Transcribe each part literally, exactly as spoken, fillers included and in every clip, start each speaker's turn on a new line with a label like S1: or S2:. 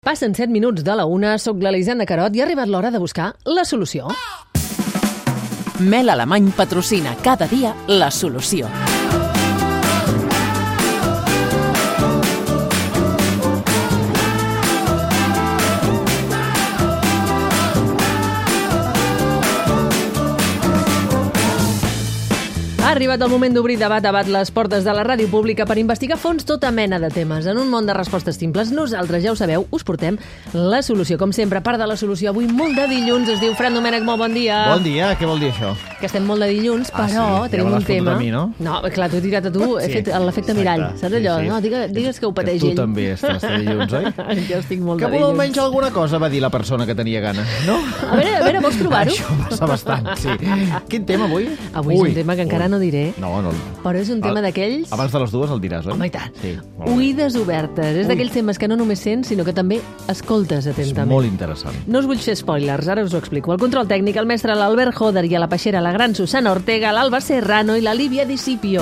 S1: Passen set minuts de la una, soc l'Elisenda Carot i ha arribat l'hora de buscar la solució.
S2: Mel Alemany patrocina cada dia la solució.
S1: Ha arribat el moment d'obrir debat a debat les portes de la ràdio pública per investigar a fons tota mena de temes. En un món de respostes simples, nosaltres, ja ho sabeu, us portem la solució. Com sempre, part de la solució avui molt de dilluns. Es diu Fran Domènec, molt bon dia.
S3: Bon dia, què vol dir això?
S1: Que estem molt de dilluns,
S3: Ah,
S1: però
S3: sí?
S1: tenim
S3: Ja me
S1: un
S3: l'has fotut
S1: tema...
S3: a mi, no?
S1: No, clar, t'ho he tirat a tu, he
S3: Sí,
S1: fet l'efecte
S3: exacte.
S1: mirall, saps allò?
S3: Sí, sí.
S1: No, digues, digues que ho pateix
S3: Tu
S1: ell.
S3: també estàs de dilluns, oi?
S1: Jo estic molt
S3: Que
S1: de
S3: vol
S1: dilluns.
S3: almenys alguna cosa, va dir la persona que tenia gana, no?
S1: A veure, a veure, vols provar-ho?
S3: Això passa bastant, sí. Quin tema avui?
S1: Avui és un tema que encara
S3: ui.
S1: no diré,
S3: No, no.
S1: però és un tema
S3: Al-
S1: d'aquells...
S3: Abans de les dues el diràs, oi?
S1: Home, i tant.
S3: Sí, molt bé.
S1: Oïdes obertes. És
S3: Ui.
S1: d'aquells temes que no només sents, sinó que també escoltes
S3: És
S1: atentament.
S3: molt interessant.
S1: No us vull fer spoilers, ara us ho explico. El control tècnic, el mestre l'Albert Joder i a la peixera la gran Susana Ortega, l'Alba Serrano i la Lívia Discipio.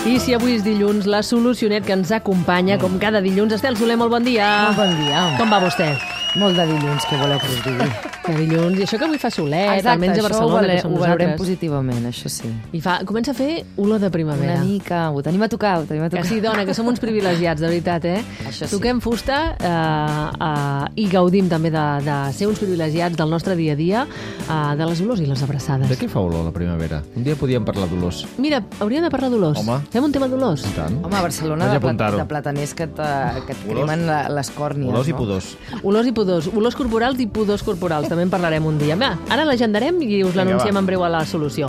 S1: I si avui és dilluns, la solucionet que ens acompanya, com cada dilluns, Estel Soler, molt bon dia.
S4: Molt bon dia.
S1: Com va vostè?
S4: Molt de dilluns, què voleu que us digui?
S1: Que dilluns, i això que avui fa solet,
S4: Exacte,
S1: almenys a
S4: això ho,
S1: Barcelona,
S4: vale,
S1: que som
S4: ho veurem
S1: nosaltres.
S4: positivament, això sí.
S1: I fa, comença a fer olor de primavera.
S4: Una mica, ho tenim a tocar, ho tenim a
S1: Que
S4: tocar.
S1: sí, dona, que som uns privilegiats, de veritat, eh?
S4: Això sí.
S1: Toquem fusta eh, eh, i gaudim també de, de ser uns privilegiats del nostre dia a dia, eh, de les olors i les abraçades.
S3: De què fa olor la primavera? Un dia podíem parlar d'olors.
S1: Mira, hauríem de parlar d'olors.
S3: Home.
S1: Fem un tema d'olors.
S3: I tant.
S4: Home, a Barcelona
S3: Vaig
S4: de, plat,
S3: apuntar-ho.
S4: de plataners que, te, que et
S3: Olors.
S4: cremen la, les còrnies,
S3: Olors i
S4: no?
S3: pudors.
S1: Olors i pudors. Olors corporals i pudors corporals. També en parlarem un dia. Va, ara l'agendarem i us
S3: Vinga,
S1: l'anunciem
S3: va.
S1: en breu a la solució.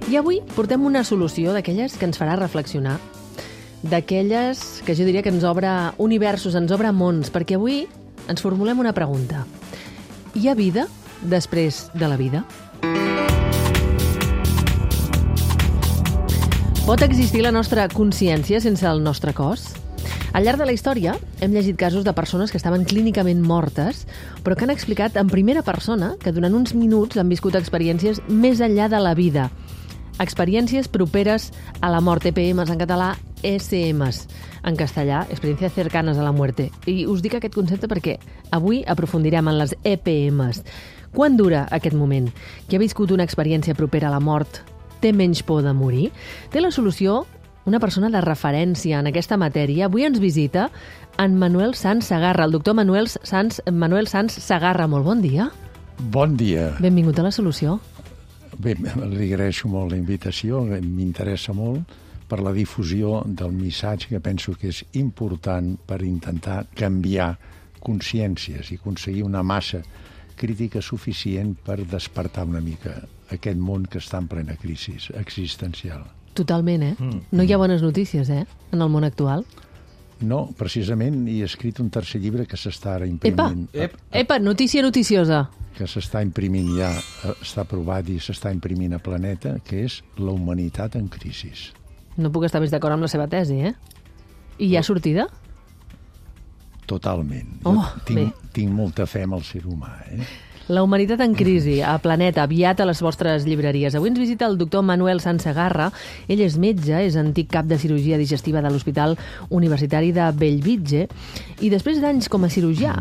S1: I avui portem una solució d'aquelles que ens farà reflexionar, d'aquelles que jo diria que ens obre universos, ens obre mons, perquè avui ens formulem una pregunta. Hi ha vida després de la vida? Pot existir la nostra consciència sense el nostre cos? Al llarg de la història hem llegit casos de persones que estaven clínicament mortes, però que han explicat en primera persona que durant uns minuts han viscut experiències més enllà de la vida. Experiències properes a la mort, E P Ms en català, E S Ms en castellà, experiències cercanes a la muerte. I us dic aquest concepte perquè avui aprofundirem en les E P Ms. Quan dura aquest moment? Qui ha viscut una experiència propera a la mort té menys por de morir? Té la solució una persona de referència en aquesta matèria. Avui ens visita en Manuel Sans Segarra, el doctor Manuel Sans, Manuel Sans Segarra. Molt bon dia.
S5: Bon dia.
S1: Benvingut a la solució.
S5: Bé, li agraeixo molt la invitació, m'interessa molt per la difusió del missatge que penso que és important per intentar canviar consciències i aconseguir una massa crítica suficient per despertar una mica aquest món que està en plena crisi existencial.
S1: Totalment, eh? No hi ha bones notícies, eh? En el món actual.
S5: No, precisament, he escrit un tercer llibre que s'està ara
S1: Epa!
S5: imprimint.
S1: Epa, notícia noticiosa.
S5: Que s'està imprimint ja, eh, està aprovat i s'està imprimint a Planeta, que és La humanitat en crisi.
S1: No puc estar més d'acord amb la seva tesi, eh? I hi ha sortida?
S5: Totalment.
S1: Oh,
S5: jo tinc,
S1: bé.
S5: tinc molta fe en el ser humà, eh?
S1: La humanitat en crisi, a Planeta, aviat a les vostres llibreries. Avui ens visita el doctor Manuel Sans Segarra. Ell és metge, és antic cap de cirurgia digestiva de l'Hospital Universitari de Bellvitge i després d'anys com a cirurgià,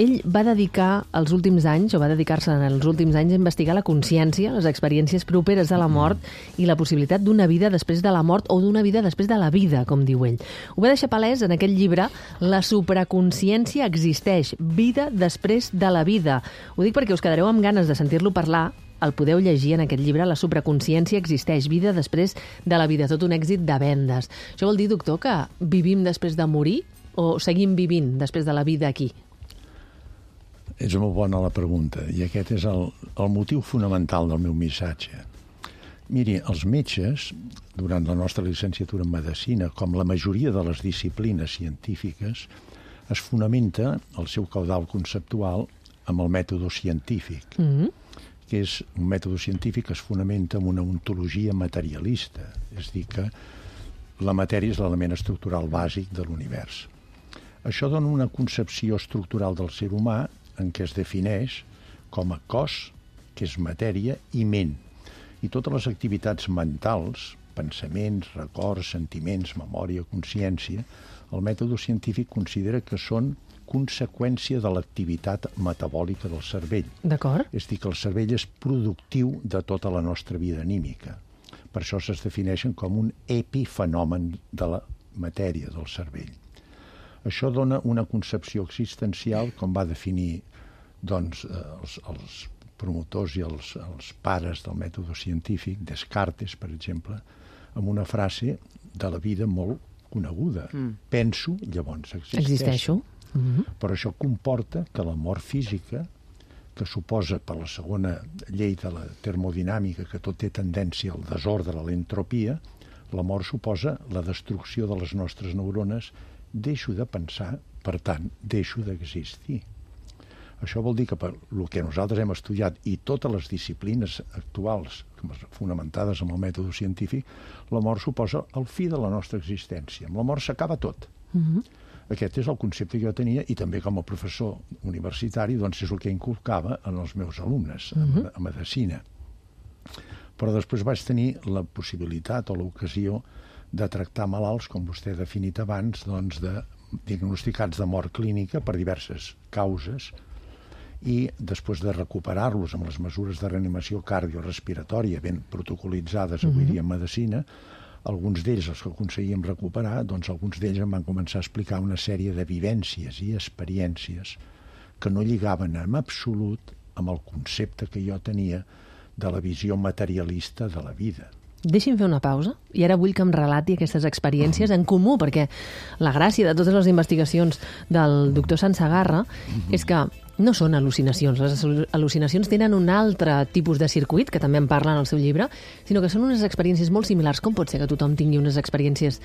S1: ell va dedicar els últims anys, o va dedicar-se en els últims anys a investigar la consciència, les experiències properes a la mort i la possibilitat d'una vida després de la mort o d'una vida després de la vida, com diu ell. Ho va deixar palès en aquest llibre La supraconsciència existeix, vida després de la vida. Ho dic perquè us quedareu amb ganes de sentir-lo parlar. El podeu llegir en aquest llibre, La supraconsciència existeix, vida després de la vida, tot un èxit de vendes. Això vol dir, doctor, que vivim després de morir o seguim vivint després de la vida aquí?
S5: És molt bona la pregunta, i aquest és el, el motiu fonamental del meu missatge. Miri, els metges, durant la nostra llicenciatura en Medicina, com la majoria de les disciplines científiques, es fonamenta el seu caudal conceptual amb el mètode científic,
S1: Mm-hmm.
S5: que és un mètode científic que es fonamenta en una ontologia materialista, és a dir, que la matèria és l'element estructural bàsic de l'univers. Això dona una concepció estructural del ser humà en què es defineix com a cos, que és matèria, i ment. I totes les activitats mentals, pensaments, records, sentiments, memòria, consciència, el mètode científic considera que són conseqüència de l'activitat metabòlica del cervell.
S1: D'acord.
S5: És a dir, que el cervell és productiu de tota la nostra vida anímica. Per això es defineixen com un epifenomen de la matèria del cervell. Això dona una concepció existencial, com va definir doncs, els, els promotors i els, els pares del mètode científic, Descartes, per exemple, amb una frase de la vida molt coneguda. Mm. Penso, llavors existeixo.
S1: Existeixo. Mm-hmm.
S5: Però això comporta que la mort física, que suposa per la segona llei de la termodinàmica, que tot té tendència al desordre, a l'entropia, la mort suposa la destrucció de les nostres neurones, deixo de pensar, per tant, deixo d'existir. Això vol dir que per el que nosaltres hem estudiat i totes les disciplines actuals fonamentades en el mètode científic, la mort suposa el fi de la nostra existència. Amb la mort s'acaba tot. Mm-hmm. Aquest és el concepte que jo tenia i també com a professor universitari doncs és el que inculcava en els meus alumnes mm-hmm. a, a medicina. Però després vaig tenir la possibilitat o l'ocasió de tractar malalts, com vostè ha definit abans, doncs de diagnosticats de mort clínica per diverses causes i després de recuperar-los amb les mesures de reanimació cardiorespiratòria ben protocolitzades avui dia en medicina, alguns d'ells, els que aconseguíem recuperar, doncs alguns d'ells em van començar a explicar una sèrie de vivències i experiències que no lligaven en absolut amb el concepte que jo tenia de la visió materialista de la vida.
S1: Deixi'm fer una pausa i ara vull que em relati aquestes experiències en comú, perquè la gràcia de totes les investigacions del doctor Sansegarra és que no són al·lucinacions. Les al·lucinacions tenen un altre tipus de circuit, que també en parla en el seu llibre, sinó que són unes experiències molt similars. Com pot ser que tothom tingui unes experiències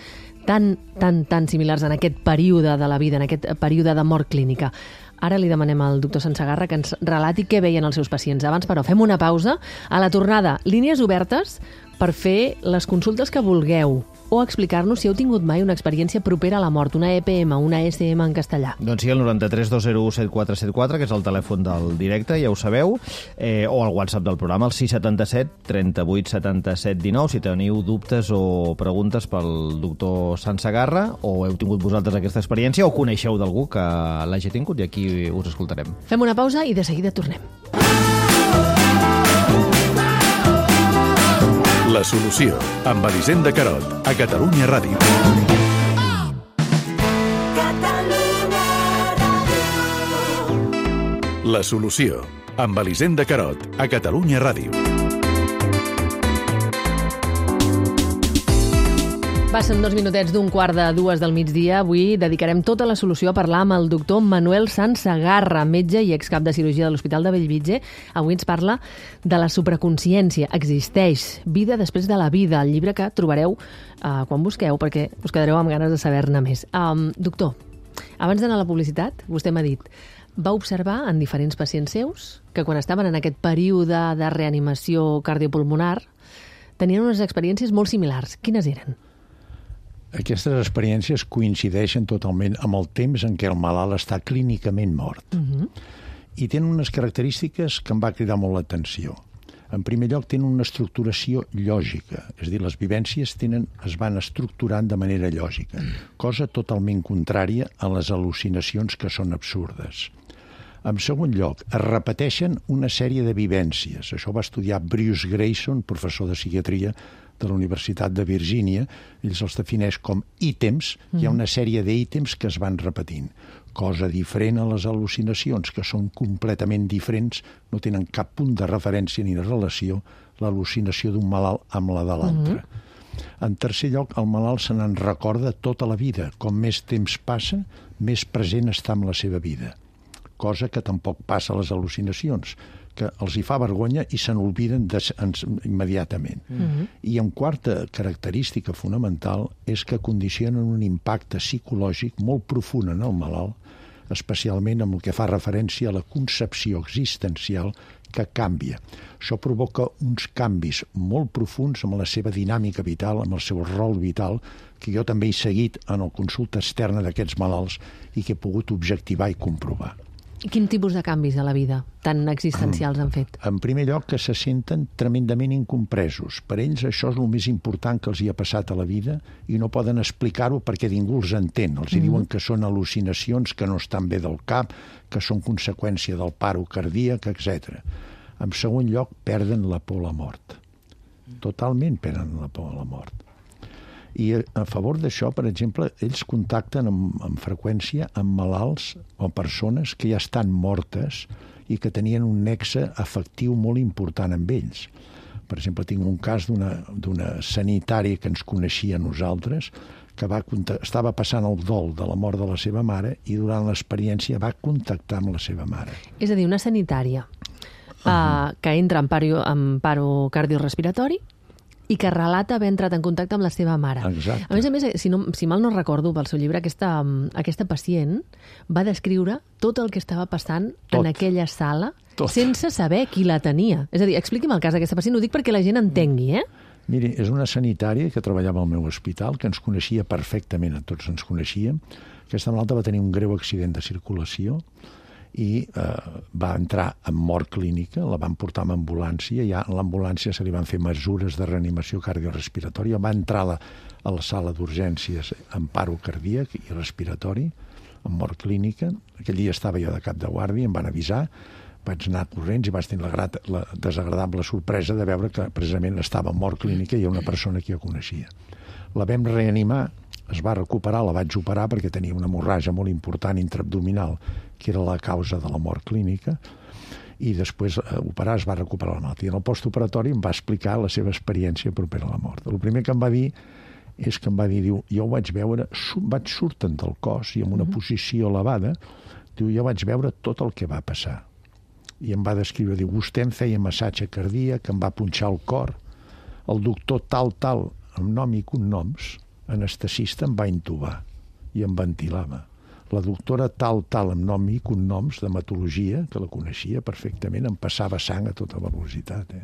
S1: tan, tan, tan similars en aquest període de la vida, en aquest període de mort clínica? Ara li demanem al doctor Sansegarra que ens relati què veien els seus pacients. Abans, però, fem una pausa. A la tornada, línies obertes per fer les consultes que vulgueu o explicar-nos si heu tingut mai una experiència propera a la mort, una E P M, una E S M en castellà.
S3: Doncs sí, el noranta-tres dos zero u set quatre set quatre, que és el telèfon del directe, ja ho sabeu, eh, o el WhatsApp del programa, el sis setanta-set trenta-vuit setanta-set dinou, si teniu dubtes o preguntes pel doctor Sansegarra, o heu tingut vosaltres aquesta experiència, o coneixeu d'algú que l'hagi tingut, i aquí us escoltarem.
S1: Fem una pausa i de seguida tornem.
S6: La solució, amb Elisenda Carot, a Catalunya Ràdio. La solució, amb Elisenda Carot, a Catalunya Ràdio.
S1: Passen dos minutets d'un quart de dues del migdia. Avui dedicarem tota la solució a parlar amb el doctor Manuel Sansegarra, metge i excap de cirurgia de l'Hospital de Bellvitge. Avui ens parla de la supraconsciència. Existeix vida després de la vida, el llibre que trobareu uh, quan busqueu, perquè us quedareu amb ganes de saber-ne més. Um, doctor, abans d'anar a la publicitat, vostè m'ha dit, va observar en diferents pacients seus que quan estaven en aquest període de reanimació cardiopulmonar tenien unes experiències molt similars. Quines eren?
S5: Aquestes experiències coincideixen totalment amb el temps en què el malalt està clínicament mort. Uh-huh. I tenen unes característiques que em va cridar molt l'atenció. En primer lloc, tenen una estructuració lògica, és a dir, les vivències tenen, es van estructurant de manera lògica, cosa totalment contrària a les al·lucinacions que són absurdes. En segon lloc, es repeteixen una sèrie de vivències. Això va estudiar Bruce Grayson, professor de psiquiatria de la Universitat de Virgínia. Ell se'ls defineix com ítems. Mm. Hi ha una sèrie d'ítems que es van repetint. Cosa diferent a les al·lucinacions, que són completament diferents, no tenen cap punt de referència ni de relació l'al·lucinació d'un malalt amb la de l'altre. Mm. En tercer lloc, el malalt se n'en recorda tota la vida. Com més temps passa, més present està amb la seva vida. Cosa que tampoc passa a les al·lucinacions, que els hi fa vergonya i se n'olviden immediatament. Mm-hmm. I en quarta característica fonamental és que condicionen un impacte psicològic molt profund en el malalt, especialment amb el que fa referència a la concepció existencial que canvia. Això provoca uns canvis molt profunds amb la seva dinàmica vital, amb el seu rol vital, que jo també he seguit en la consulta externa d'aquests malalts i que he pogut objectivar i comprovar.
S1: I quin tipus de canvis a la vida tan existencials han fet?
S5: En primer lloc, que se senten tremendament incompresos. Per ells això és el més important que els hi ha passat a la vida i no poden explicar-ho perquè ningú els entén. Els mm-hmm. diuen que són al·lucinacions, que no estan bé del cap, que són conseqüència del paro cardíac, etcètera. En segon lloc, perden la por a la mort. Totalment perden la por a la mort. I a favor d'això, per exemple, ells contacten amb, amb freqüència amb malalts o persones que ja estan mortes i que tenien un nexe afectiu molt important amb ells. Per exemple, tinc un cas d'una sanitària que ens coneixia a nosaltres, que va, estava passant el dol de la mort de la seva mare i durant l'experiència va contactar amb la seva mare.
S1: És a dir, una sanitària uh, uh, que entra en paro, en paro cardiorrespiratori i que relata haver entrat en contacte amb la seva mare.
S5: Exacte.
S1: A més a més, si, no, si mal no recordo pel seu llibre, aquesta, aquesta pacient va descriure tot el que estava passant tot. en aquella sala tot. sense saber qui la tenia. És a dir, expliqui'm el cas d'aquesta pacient, ho dic perquè la gent entengui, eh?
S5: Miri, és una sanitària que treballava al meu hospital, que ens coneixia perfectament, a tots ens coneixíem. Aquesta malalta va tenir un greu accident de circulació i eh, va entrar en mort clínica, la van portar amb ambulància, ja a l'ambulància se li van fer mesures de reanimació cardiorrespiratòria, va entrar a la, a la sala d'urgències amb paro cardíac i respiratori, amb mort clínica. Aquell dia estava jo de cap de guàrdia, em van avisar, vaig anar corrents i vaig tenir la, grat, la desagradable sorpresa de veure que precisament estava en mort clínica i hi ha una persona que jo coneixia. La vam reanimar, es va recuperar, la vaig operar perquè tenia una hemorràgia molt important intraabdominal, que era la causa de la mort clínica, i després eh, operar es va recuperar la malaltia. En el postoperatori em va explicar la seva experiència propera a la mort. El primer que em va dir és que em va dir, diu, jo ho vaig veure, vaig surten del cos i en una mm-hmm. posició elevada, diu, jo vaig veure tot el que va passar. I em va descriure, diu, vostè em feia massatge cardíac, em va punxar el cor, el doctor tal, tal, amb nom i cognoms, anestesista, em va intubar i em ventilava. La doctora tal, tal, amb nom i cognoms d'hematologia, que la coneixia perfectament, em passava sang a tota velocitat. Eh?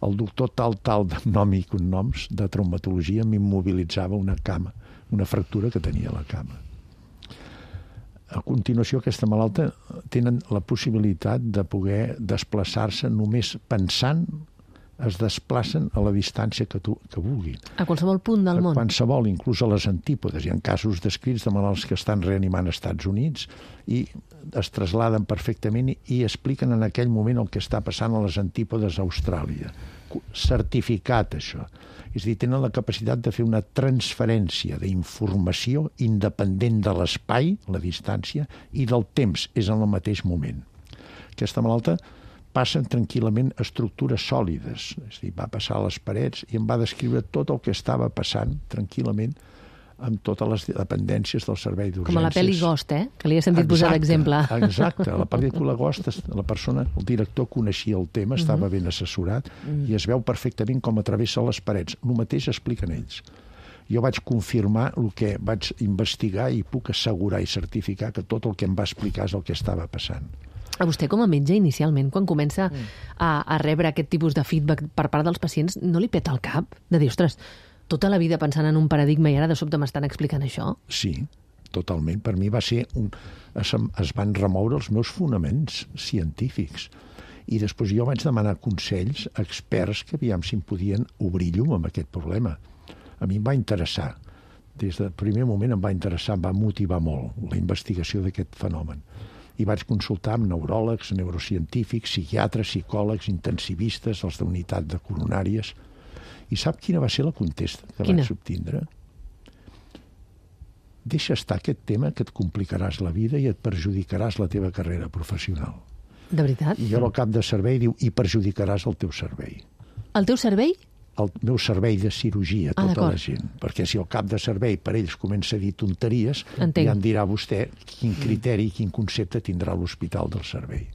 S5: El doctor tal, tal, amb nom i cognoms de traumatologia m'immobilitzava una cama, una fractura que tenia a la cama. A continuació, aquesta malalta tenen la possibilitat de poder desplaçar-se només pensant, es desplacen a la distància que, tu, que vulguin.
S1: A qualsevol punt del món.
S5: A qualsevol, inclús a les antípodes. Hi ha casos descrits de malalts que estan reanimant als Estats Units i es trasladen perfectament i expliquen en aquell moment el que està passant a les antípodes a Austràlia. Certificat, això. És a dir, tenen la capacitat de fer una transferència d'informació independent de l'espai, la distància, i del temps, és en el mateix moment. Aquesta malalta passen tranquil·lament estructures sòlides. És a dir, va passar a les parets i em va descriure tot el que estava passant tranquil·lament amb totes les dependències del servei d'urgències.
S1: Com a la pel·li Ghost, eh? Que li he sentit exacte, posar d'exemple.
S5: Exacte. La pel·lícula Ghost, la persona, el director coneixia el tema, estava uh-huh. ben assessorat uh-huh. i es veu perfectament com atravessa les parets. El mateix expliquen ells. Jo vaig confirmar el que vaig investigar i puc assegurar i certificar que tot el que em va explicar és el que estava passant.
S1: A vostè, com a metge, inicialment, quan comença a, a rebre aquest tipus de feedback per part dels pacients, no li peta el cap? De dir, ostres, tota la vida pensant en un paradigma i ara de sobte m'estan explicant això?
S5: Sí, totalment. Per mi va ser un... Es, es van remoure els meus fonaments científics. I després jo vaig demanar consells a experts que aviam si em podien obrir llum amb aquest problema. A mi em va interessar. Des del primer moment em va interessar, em va motivar molt la investigació d'aquest fenomen. I vaig consultar amb neuròlegs, neurocientífics, psiquiatres, psicòlegs, intensivistes, els d'unitat de coronàries. I sap quina va ser la contesta que quina? Vaig obtindre? Deixa estar aquest tema que et complicaràs la vida i et perjudicaràs la teva carrera professional.
S1: De veritat?
S5: I jo al cap de servei diu, i perjudicaràs el teu servei.
S1: El teu servei?
S5: El meu servei de cirurgia,
S1: ah,
S5: tota la gent. Perquè si el cap de servei per ells comença a dir tonteries,
S1: entenc.
S5: Ja em dirà vostè quin criteri i quin concepte tindrà l'hospital del servei.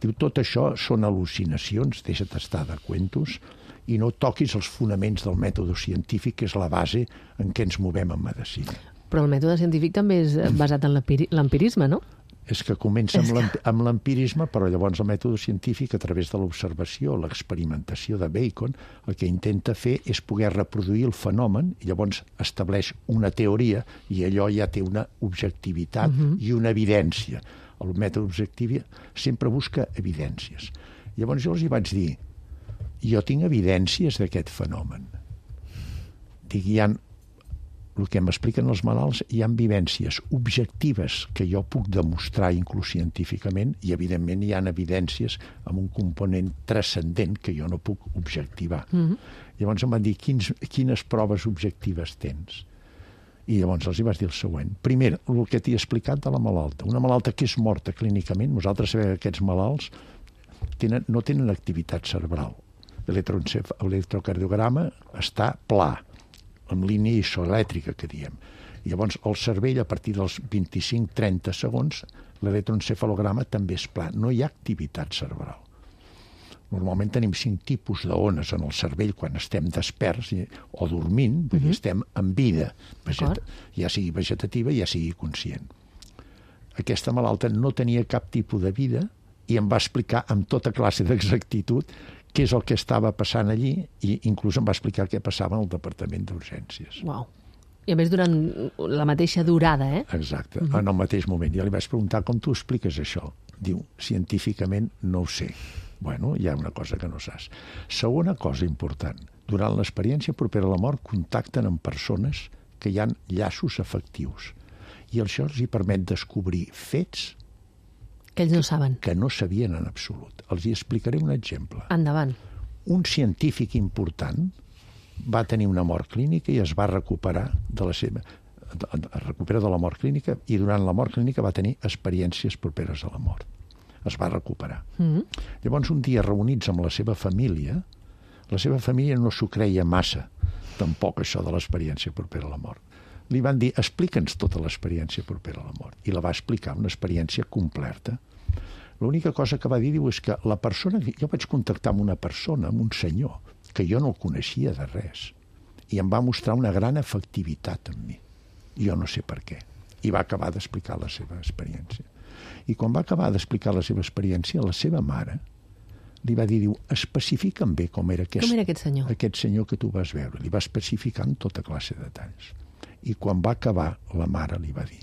S5: Diu, tot això són al·lucinacions, deixa't estar de cuentos, i no toquis els fonaments del mètode científic, que és la base en què ens movem en medicina.
S1: Però el mètode científic també és basat en l'empirisme, no?
S5: És que comença amb l'empirisme, però llavors el mètode científic, a través de l'observació, l'experimentació de Bacon, el que intenta fer és poder reproduir el fenomen i llavors estableix una teoria i allò ja té una objectivitat uh-huh. i una evidència. el mètode objectiu sempre busca evidències. Llavors jo els hi vaig dir, jo tinc evidències d'aquest fenomen. Dic, hi ha, el que m'expliquen els malalts, hi ha vivències objectives que jo puc demostrar inclús científicament i, evidentment, hi ha evidències amb un component transcendent que jo no puc objectivar. Mm-hmm. Llavors em van dir, Quins, quines proves objectives tens? I llavors els hi vaig dir el següent. Primer, el que t'he explicat de la malalta. Una malalta que és morta clínicament, nosaltres sabem que aquests malalts tenen, no tenen activitat cerebral. L'electrocardiograma està pla, amb línia isoelèctrica, que diem. I llavors el cervell, a partir dels vint-i-cinc a trenta segons, l'electroencefalograma també és pla. No hi ha activitat cerebral. Normalment tenim cinc tipus d'ones en el cervell quan estem desperts o dormint, perquè uh-huh. estem en vida, vegeta, ja sigui vegetativa, ja sigui conscient. Aquesta malalta no tenia cap tipus de vida i em va explicar amb tota classe d'exactitud què és el que estava passant allí i inclús em va explicar què passava en el departament d'urgències.
S1: Uau. I a més durant la mateixa durada, eh?
S5: Exacte, uh-huh. en el mateix moment. Ja li vaig preguntar com tu expliques això. Diu, científicament no ho sé. Bueno, hi ha una cosa que no saps. Segona cosa important. Durant l'experiència propera a la mort contacten amb persones que hi ha llaços afectius. I això els hi permet descobrir fets
S1: que ells no saben.
S5: Que no sabien en absolut. Els hi explicaré un exemple.
S1: Endavant.
S5: Un científic important va tenir una mort clínica i es va recuperar de la seva... es recupera de la mort clínica i durant la mort clínica va tenir experiències properes a la mort. Es va recuperar. Mm-hmm. Llavors, un dia, reunits amb la seva família, la seva família no s'ho creia massa, tampoc això de l'experiència propera a la mort. Li van dir, explica'ns tota l'experiència propera a la mort. I la va explicar, una experiència completa. L'única cosa que va dir, diu, és que la persona... Jo vaig contactar amb una persona, amb un senyor, que jo no el coneixia de res, i em va mostrar una gran efectivitat en mi. Jo no sé per què. I va acabar d'explicar la seva experiència. I quan va acabar d'explicar la seva experiència, la seva mare li va dir, diu, especifica'm bé com era aquest,
S1: com era aquest senyor.
S5: Aquest senyor que tu vas veure. Li va especificar en tota classe de detalls. I quan va acabar, la mare li va dir,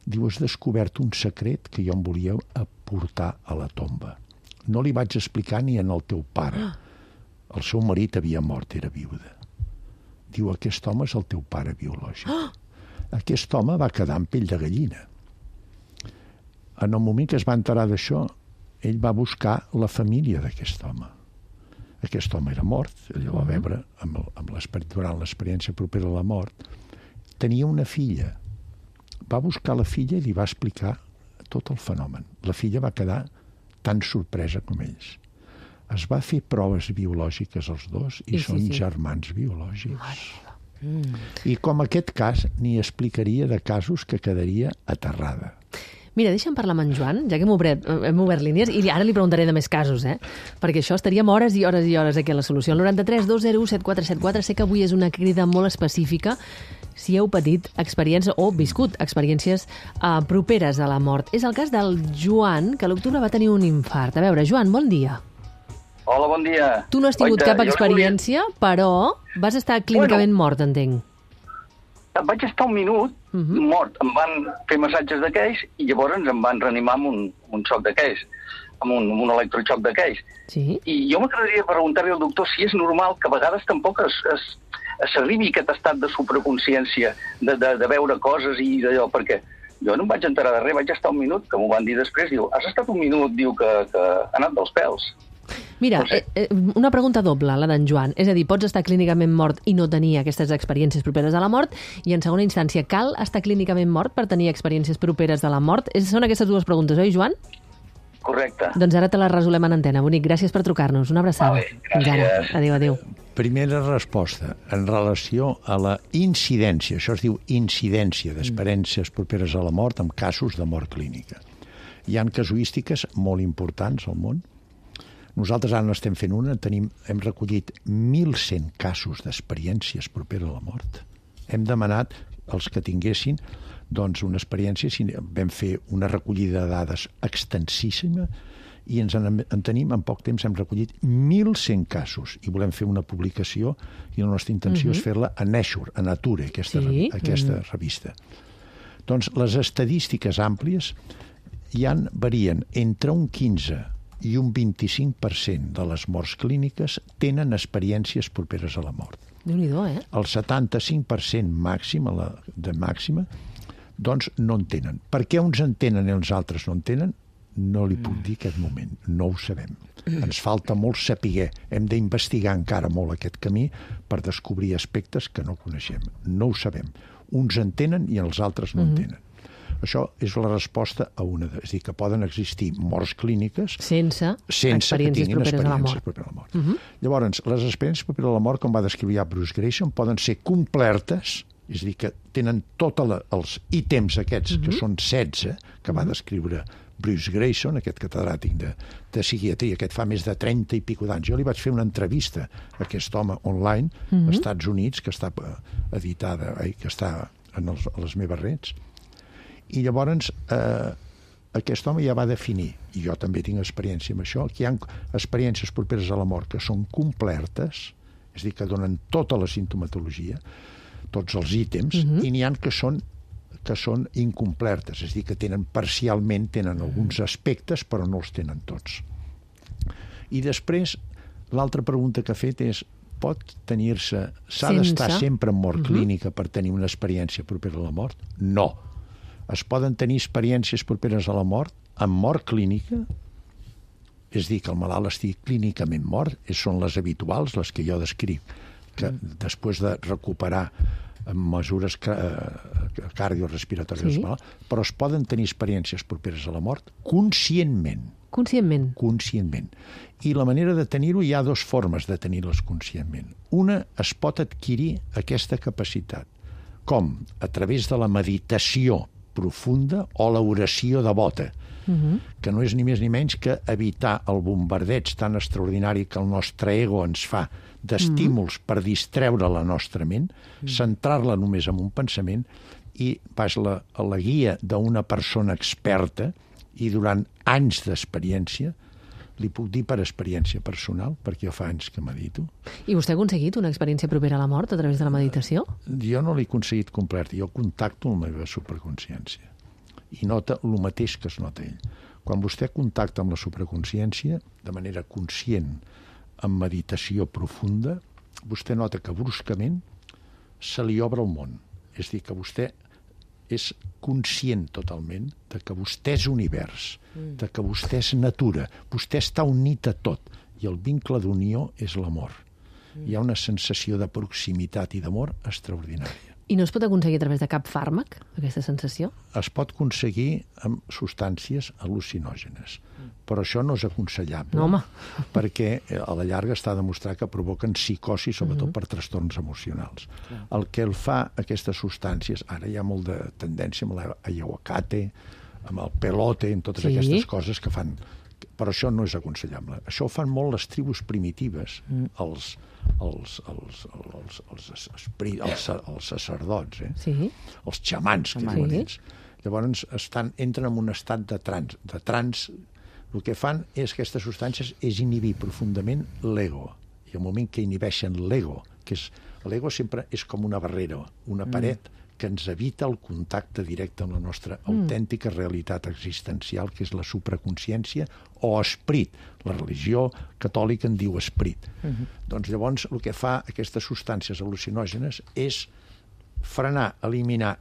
S5: diu, has descobert un secret que jo em volia aportar a la tomba. No li vaig explicar ni en el teu pare. El seu marit havia mort, era viuda. Diu, aquest home és el teu pare biològic. Aquest home va quedar amb pell de gallina. En el moment que es va enterar d'això, ell va buscar la família d'aquest home. Aquest home era mort, ell va veure amb el, amb durant l'experiència propera a la mort. Tenia una filla. Va buscar la filla i li va explicar tot el fenomen. La filla va quedar tan sorpresa com ells. Es va fer proves biològiques els dos i, I són sí, sí. germans biològics. Mm. I com aquest cas, n'hi explicaria de casos que quedaria aterrada.
S1: Mira, deixa'm parlar amb en Joan, ja que hem obert, hem obert línies, i ara li preguntaré de més casos, eh? Perquè això estaríem hores i hores i hores aquí a la solució. El noranta-tres dos zero u set quatre set quatre, sé que avui és una crida molt específica si heu patit experiències o viscut experiències uh, properes a la mort. És el cas del Joan, que a l'octubre va tenir un infart. A veure, Joan, bon dia.
S7: Hola, bon dia.
S1: Tu no has tingut Oita, cap experiència, volia... però vas estar clínicament bueno, mort, entenc.
S7: Vaig estar un minut uh-huh. mort. Em van fer massatges d'aquells i llavors em van reanimar amb un, un xoc d'aquells, amb un, amb un electroxoc d'aquells.
S1: Sí.
S7: I jo m'agradaria preguntar-li al doctor si és normal que a vegades tampoc es, es, es s'arribi aquest estat de supraconsciència, de, de, de veure coses i d'allò, perquè jo no em vaig enterar de res, vaig estar un minut, que m'ho van dir després, diu, has estat un minut, diu, que, que ha anat dels pèls.
S1: Mira, no sé. eh, una pregunta doble, la d'en Joan. És a dir, pots estar clínicament mort i no tenir aquestes experiències properes a la mort, i en segona instància, cal estar clínicament mort per tenir experiències properes a la mort? És, són aquestes dues preguntes, oi, Joan?
S7: Correcte.
S1: Doncs ara te les resolem en antena. Bonic, gràcies per trucar-nos. Una abraçada.
S7: Vale, gràcies.
S1: Adéu, adéu.
S5: Primera resposta, en relació a la incidència, això es diu incidència d'experiències properes a la mort en casos de mort clínica. Hi ha casuístiques molt importants al món. Nosaltres ara n'estem fent una, tenim, hem recollit mil cent casos d'experiències properes a la mort. Hem demanat als que tinguessin doncs, una experiència, vam fer una recollida de dades extensíssima i ens en, en tenim, en poc temps hem recollit mil cent casos i volem fer una publicació i la nostra intenció uh-huh. és fer-la a Nature, a Nature, aquesta, sí? aquesta uh-huh. revista. Doncs les estadístiques àmplies, hi han, varien entre un quinze i un vint-i-cinc per cent de les morts clíniques tenen experiències properes a la mort.
S1: Déu-n'hi-do, eh?
S5: El setanta-cinc per cent màxim, a la, de màxima, doncs no en tenen. Per què uns en tenen i els altres no en tenen? No li puc dir aquest moment, no ho sabem. Ens falta molt saber, hem d'investigar encara molt aquest camí per descobrir aspectes que no coneixem. No ho sabem. Uns en tenen i els altres no en tenen. Això és la resposta a una de... És a dir, que poden existir morts clíniques
S1: sense,
S5: sense
S1: experiències
S5: que tinguin
S1: properes a la
S5: experiències
S1: mort.
S5: properes a la mort. Uh -huh. Llavors, les experiències properes a la mort, com va descriure ja Bruce Greyson, poden ser complertes, és a dir, que tenen tots els ítems aquests, uh -huh. que són setze, que va descriure Bruce Greyson, aquest catedràtic de, de psiquiatria, aquest fa més de trenta i pico d'anys. Jo li vaig fer una entrevista a aquest home online, uh -huh. als Estats Units, que està editada, eh, que està en els, a les meves reds, i llavors eh, aquest home ja va definir, i jo també tinc experiència amb això, que hi ha experiències properes a la mort que són complertes, és a dir, que donen tota la sintomatologia, tots els ítems, uh -huh. i n'hi ha que són que són incomplertes, és a dir, que tenen parcialment, tenen alguns aspectes, però no els tenen tots. I després, l'altra pregunta que ha fet és, pot tenir-se, s'ha d'estar sempre en mort uh -huh. clínica per tenir una experiència propera a la mort? No. Es poden tenir experiències properes a la mort amb mort clínica, és dir, que el malalt estigui clínicament mort, són les habituals, les que jo descric, que uh -huh. després de recuperar amb mesures cardiorrespiratòries, sí. Però es poden tenir experiències properes a la mort conscientment.
S1: Conscientment?
S5: Conscientment. I la manera de tenir-ho, hi ha dues formes de tenir-les conscientment. Una, es pot adquirir aquesta capacitat. Com? A través de la meditació profunda o l'oració devota, uh-huh. que no és ni més ni menys que evitar el bombardeig tan extraordinari que el nostre ego ens fa d'estímuls mm. per distreure la nostra ment, mm. centrar-la només en un pensament i vas la, a la guia d'una persona experta i durant anys d'experiència, li puc dir per experiència personal, perquè jo fa anys que medito.
S1: I vostè ha aconseguit una experiència propera a la mort a través de la meditació?
S5: Jo no l'he aconseguit complet, jo contacto amb la meva superconsciència i nota el mateix que es nota ell. Quan vostè contacta amb la superconsciència, de manera conscient, amb meditació profunda, vostè nota que bruscament se li obre el món. És a dir, que vostè és conscient totalment de que vostè és univers, mm. de que vostè és natura, vostè està unit a tot, i el vincle d'unió és l'amor. Mm. Hi ha una sensació de proximitat i d'amor extraordinària.
S1: I no es pot aconseguir a través de cap fàrmac, aquesta sensació?
S5: Es pot aconseguir amb substàncies al·lucinògenes, però això no és aconsellable,
S1: no, home.
S5: Perquè a la llarga està demostrat que provoquen psicosi, sobretot uh-huh. per trastorns emocionals. Uh-huh. El que el fa aquestes substàncies, ara hi ha molt de tendència amb l'ayahuasca, amb el pelote, amb totes sí. aquestes coses que fan... Però això no és aconsellable. Això ho fan molt les tribus primitives, mm. els, els, els, els, els, els, els, els sacerdots, eh?
S1: sí.
S5: els xamans, que sí. diuen ells. Llavors estan, entren en un estat de trans. De trans, el que fan és aquestes substàncies és inhibir profundament l'ego. I al moment que inhibeixen l'ego, que és, l'ego sempre és com una barrera, una paret, mm. que ens evita el contacte directe amb la nostra mm. autèntica realitat existencial, que és la supraconsciència o esperit. La religió catòlica en diu esperit. Mm-hmm. Doncs llavors el que fa aquestes substàncies al·lucinògenes és frenar, eliminar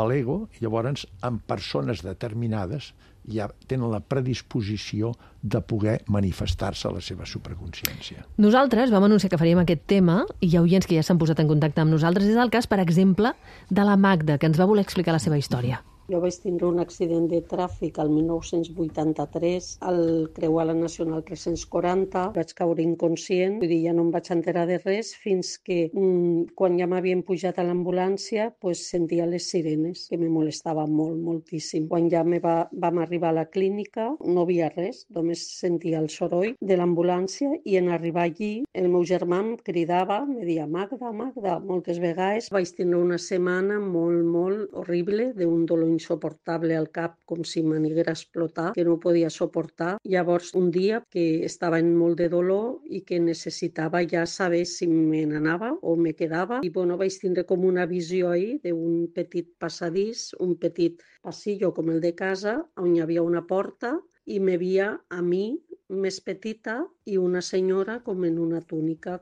S5: l'ego, i llavors en persones determinades ja tenen la predisposició de poder manifestar-se la seva supraconsciència.
S1: Nosaltres vam anunciar que faríem aquest tema i hi ha oients que ja s'han posat en contacte amb nosaltres. És el cas, per exemple, de la Magda, que ens va voler explicar la seva història.
S8: Jo vaig tindre un accident de tràfic el mil nou-cents vuitanta-tres al creuar la Nacional tres-cents quaranta. Vaig caure inconscient, vull dir, ja no em vaig enterar de res fins que mmm, quan ja m'havien pujat a l'ambulància pues, sentia les sirenes, que me molestava molt, moltíssim. Quan ja me va, vam arribar a la clínica no havia res, només sentia el soroll de l'ambulància i en arribar allí el meu germà em cridava, me deia Magda, Magda, moltes vegades. Vaig tindre una setmana molt, molt horrible d'un dolor insoportable al cap, com si m'aniguera a explotar, que no podia suportar. Llavors, un dia que estava en molt de dolor i que necessitava ja saber si me n'anava o me quedava, i bueno, vaig tindre com una visió ahí d'un petit passadís, un petit passillo com el de casa, on hi havia una porta i m'hi havia a mi més petita i una senyora com en una túnica.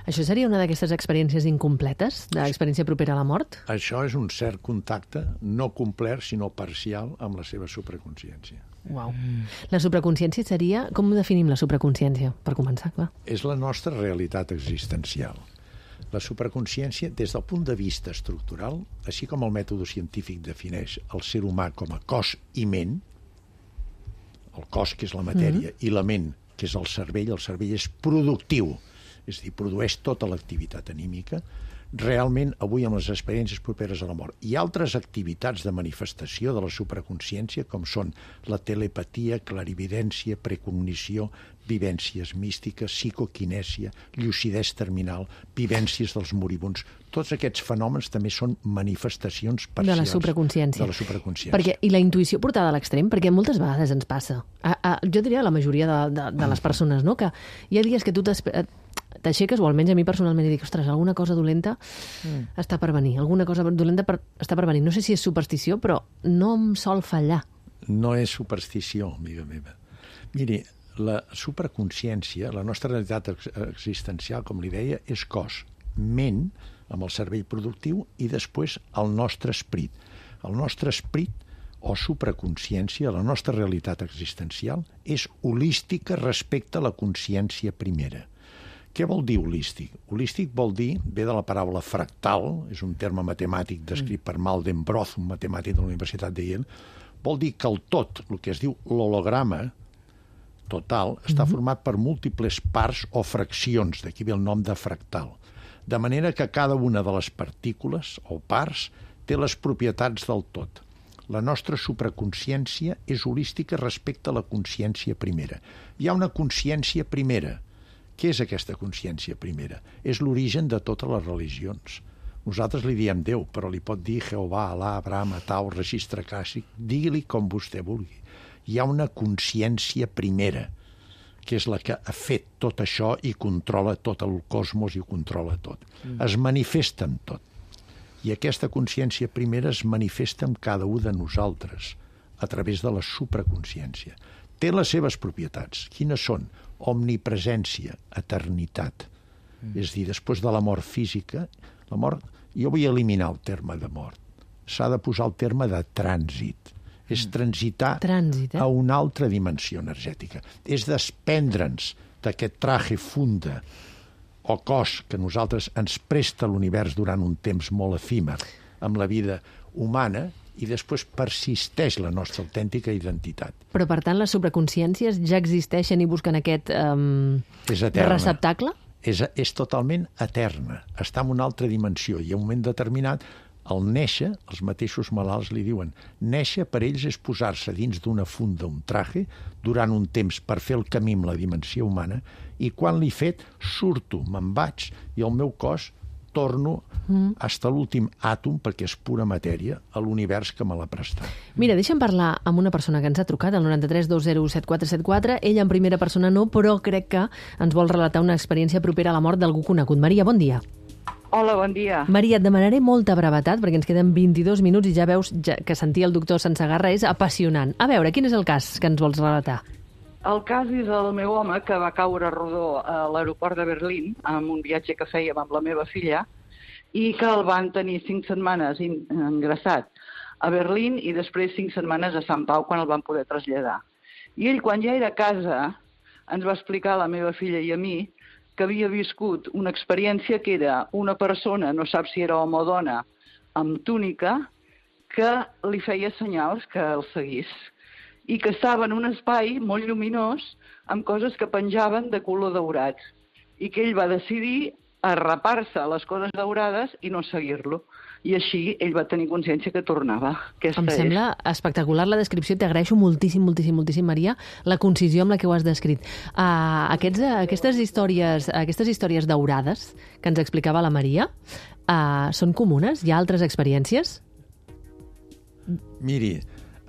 S1: Això seria una d'aquestes experiències incompletes, d'experiència propera a la mort?
S5: Això és un cert contacte, no complet, sinó parcial, amb la seva supraconsciència.
S1: Uau. La supraconsciència seria... Com definim la supraconsciència, per començar, clar?
S5: És la nostra realitat existencial. La supraconsciència, des del punt de vista estructural, així com el mètode científic defineix el ser humà com a cos i ment, el cos, que és la matèria, mm-hmm. i la ment, que és el cervell, el cervell és productiu, és a dir, produeix tota l'activitat anímica. Realment, avui, amb les experiències properes a la mort i altres activitats de manifestació de la supraconsciència, com són la telepatia, clarividència, precognició, vivències místiques, psicoquinèsia, llucidesa terminal, vivències dels moribunds. Tots aquests fenòmens també són manifestacions parcials
S1: de la supraconsciència.
S5: De la supraconsciència.
S1: Perquè, i la intuïció portada a l'extrem, perquè moltes vegades ens passa. A, a, jo diria a la majoria de, de, de les persones, no? Que hi ha dies que tu t'aixeques, o almenys a mi personalment, i dic, ostres, alguna cosa dolenta mm. està per venir, alguna cosa dolenta per, està per venir. No sé si és superstició, però no em sol fallar.
S5: No és superstició, amiga meva. Miri, la supraconsciència, la nostra realitat existencial, com li deia, és cos, ment, amb el cervell productiu, i després el nostre esperit. El nostre esperit, o supraconsciència, la nostra realitat existencial, és holística respecte a la consciència primera. Què vol dir holístic? Holístic vol dir, ve de la paraula fractal, és un terme matemàtic descrit per Malden Broth, un matemàtic de la Universitat de Yale, vol dir que el tot, el que es diu l'holograma total, està format per múltiples parts o fraccions, d'aquí ve el nom de fractal. De manera que cada una de les partícules o parts té les propietats del tot. La nostra supraconsciència és holística respecte a la consciència primera. Hi ha una consciència primera. Què és aquesta consciència primera? És l'origen de totes les religions. Nosaltres li diem Déu, però li pot dir Jehovà, Alà, Abraham, Atau, registre clàssic, digui-li com vostè vulgui. Hi ha una consciència primera, que és la que ha fet tot això i controla tot el cosmos i ho controla tot. Mm. Es manifesta en tot. I aquesta consciència primera es manifesta en cada un de nosaltres, a través de la supraconsciència. Té les seves propietats. Quines són? Omnipresència, eternitat. Mm. És a dir, després de la mort física, la mort, jo vull eliminar el terme de mort. S'ha de posar el terme de trànsit. Mm. És transitar
S1: Trànsit, eh?
S5: a una altra dimensió energètica. És desprendre'ns d'aquest traje funda o cos que nosaltres ens presta l'univers durant un temps molt efímer amb la vida humana, i després persisteix la nostra autèntica identitat.
S1: Però, per tant, les supraconsciències ja existeixen i busquen aquest um, receptacle?
S5: És, és totalment eterna. Està en una altra dimensió i en un moment determinat, al néixer, els mateixos malalts li diuen, néixer per ells és posar-se dins d'una funda, un traje, durant un temps per fer el camí amb la dimensió humana, i quan l'he fet, surto, me'n vaig, i el meu cos torno mm. fins a l'últim àtom, perquè és pura matèria, a l'univers que me l'ha prestat.
S1: Mira, deixa'm parlar amb una persona que ens ha trucat, al noranta-tres dos zero set quatre set quatre. Ella en primera persona no, però crec que ens vol relatar una experiència propera a la mort d'algú conegut. Maria, bon dia.
S9: Hola, bon dia.
S1: Maria, et demanaré molta brevetat, perquè ens queden vint-i-dos minuts i ja veus ja que sentir el doctor Sansegarra és apassionant. A veure, quin és el cas que ens vols relatar?
S9: El cas és el meu home que va caure rodó a l'aeroport de Berlín amb un viatge que fèiem amb la meva filla i que el van tenir cinc setmanes ingressat a Berlín i després cinc setmanes a Sant Pau quan el van poder traslladar. I ell, quan ja era a casa, ens va explicar a la meva filla i a mi que havia viscut una experiència que era una persona, no sap si era home o dona, amb túnica, que li feia senyals que el seguís i que estava en un espai molt lluminós amb coses que penjaven de color daurat i que ell va decidir arrapar-se a les coses daurades i no seguir-lo. I així ell va tenir consciència que tornava. Aquesta
S1: em sembla és... espectacular la descripció. T'agraeixo moltíssim, moltíssim, moltíssim, Maria, la concisió amb la que ho has descrit. Uh, aquests, uh, aquestes, històries, aquestes històries daurades que ens explicava la Maria uh, són comunes? Hi ha altres experiències?
S5: Miri,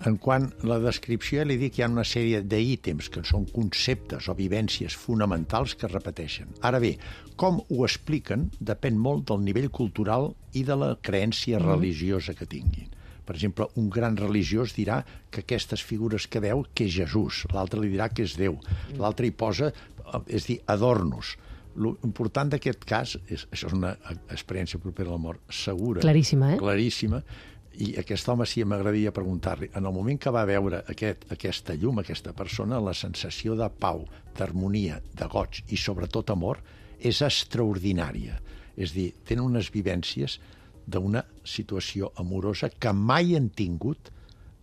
S5: en quant a la descripció, ja li dic que hi ha una sèrie d'ítems que són conceptes o vivències fonamentals que es repeteixen. Ara bé, com ho expliquen depèn molt del nivell cultural i de la creença religiosa que tinguin. Per exemple, un gran religiós dirà que aquestes figures que veu, que és Jesús, l'altre li dirà que és Déu, l'altre hi posa, és dir, adornos. L'important d'aquest cas, és, això és una experiència propera a la mort, segura,
S1: claríssima, eh?
S5: claríssima, i aquest home sí m'agradaria preguntar-li, en el moment que va veure aquest, aquesta llum, aquesta persona, la sensació de pau, d'harmonia, de goig i sobretot amor és extraordinària. És dir, tenen unes vivències d'una situació amorosa que mai han tingut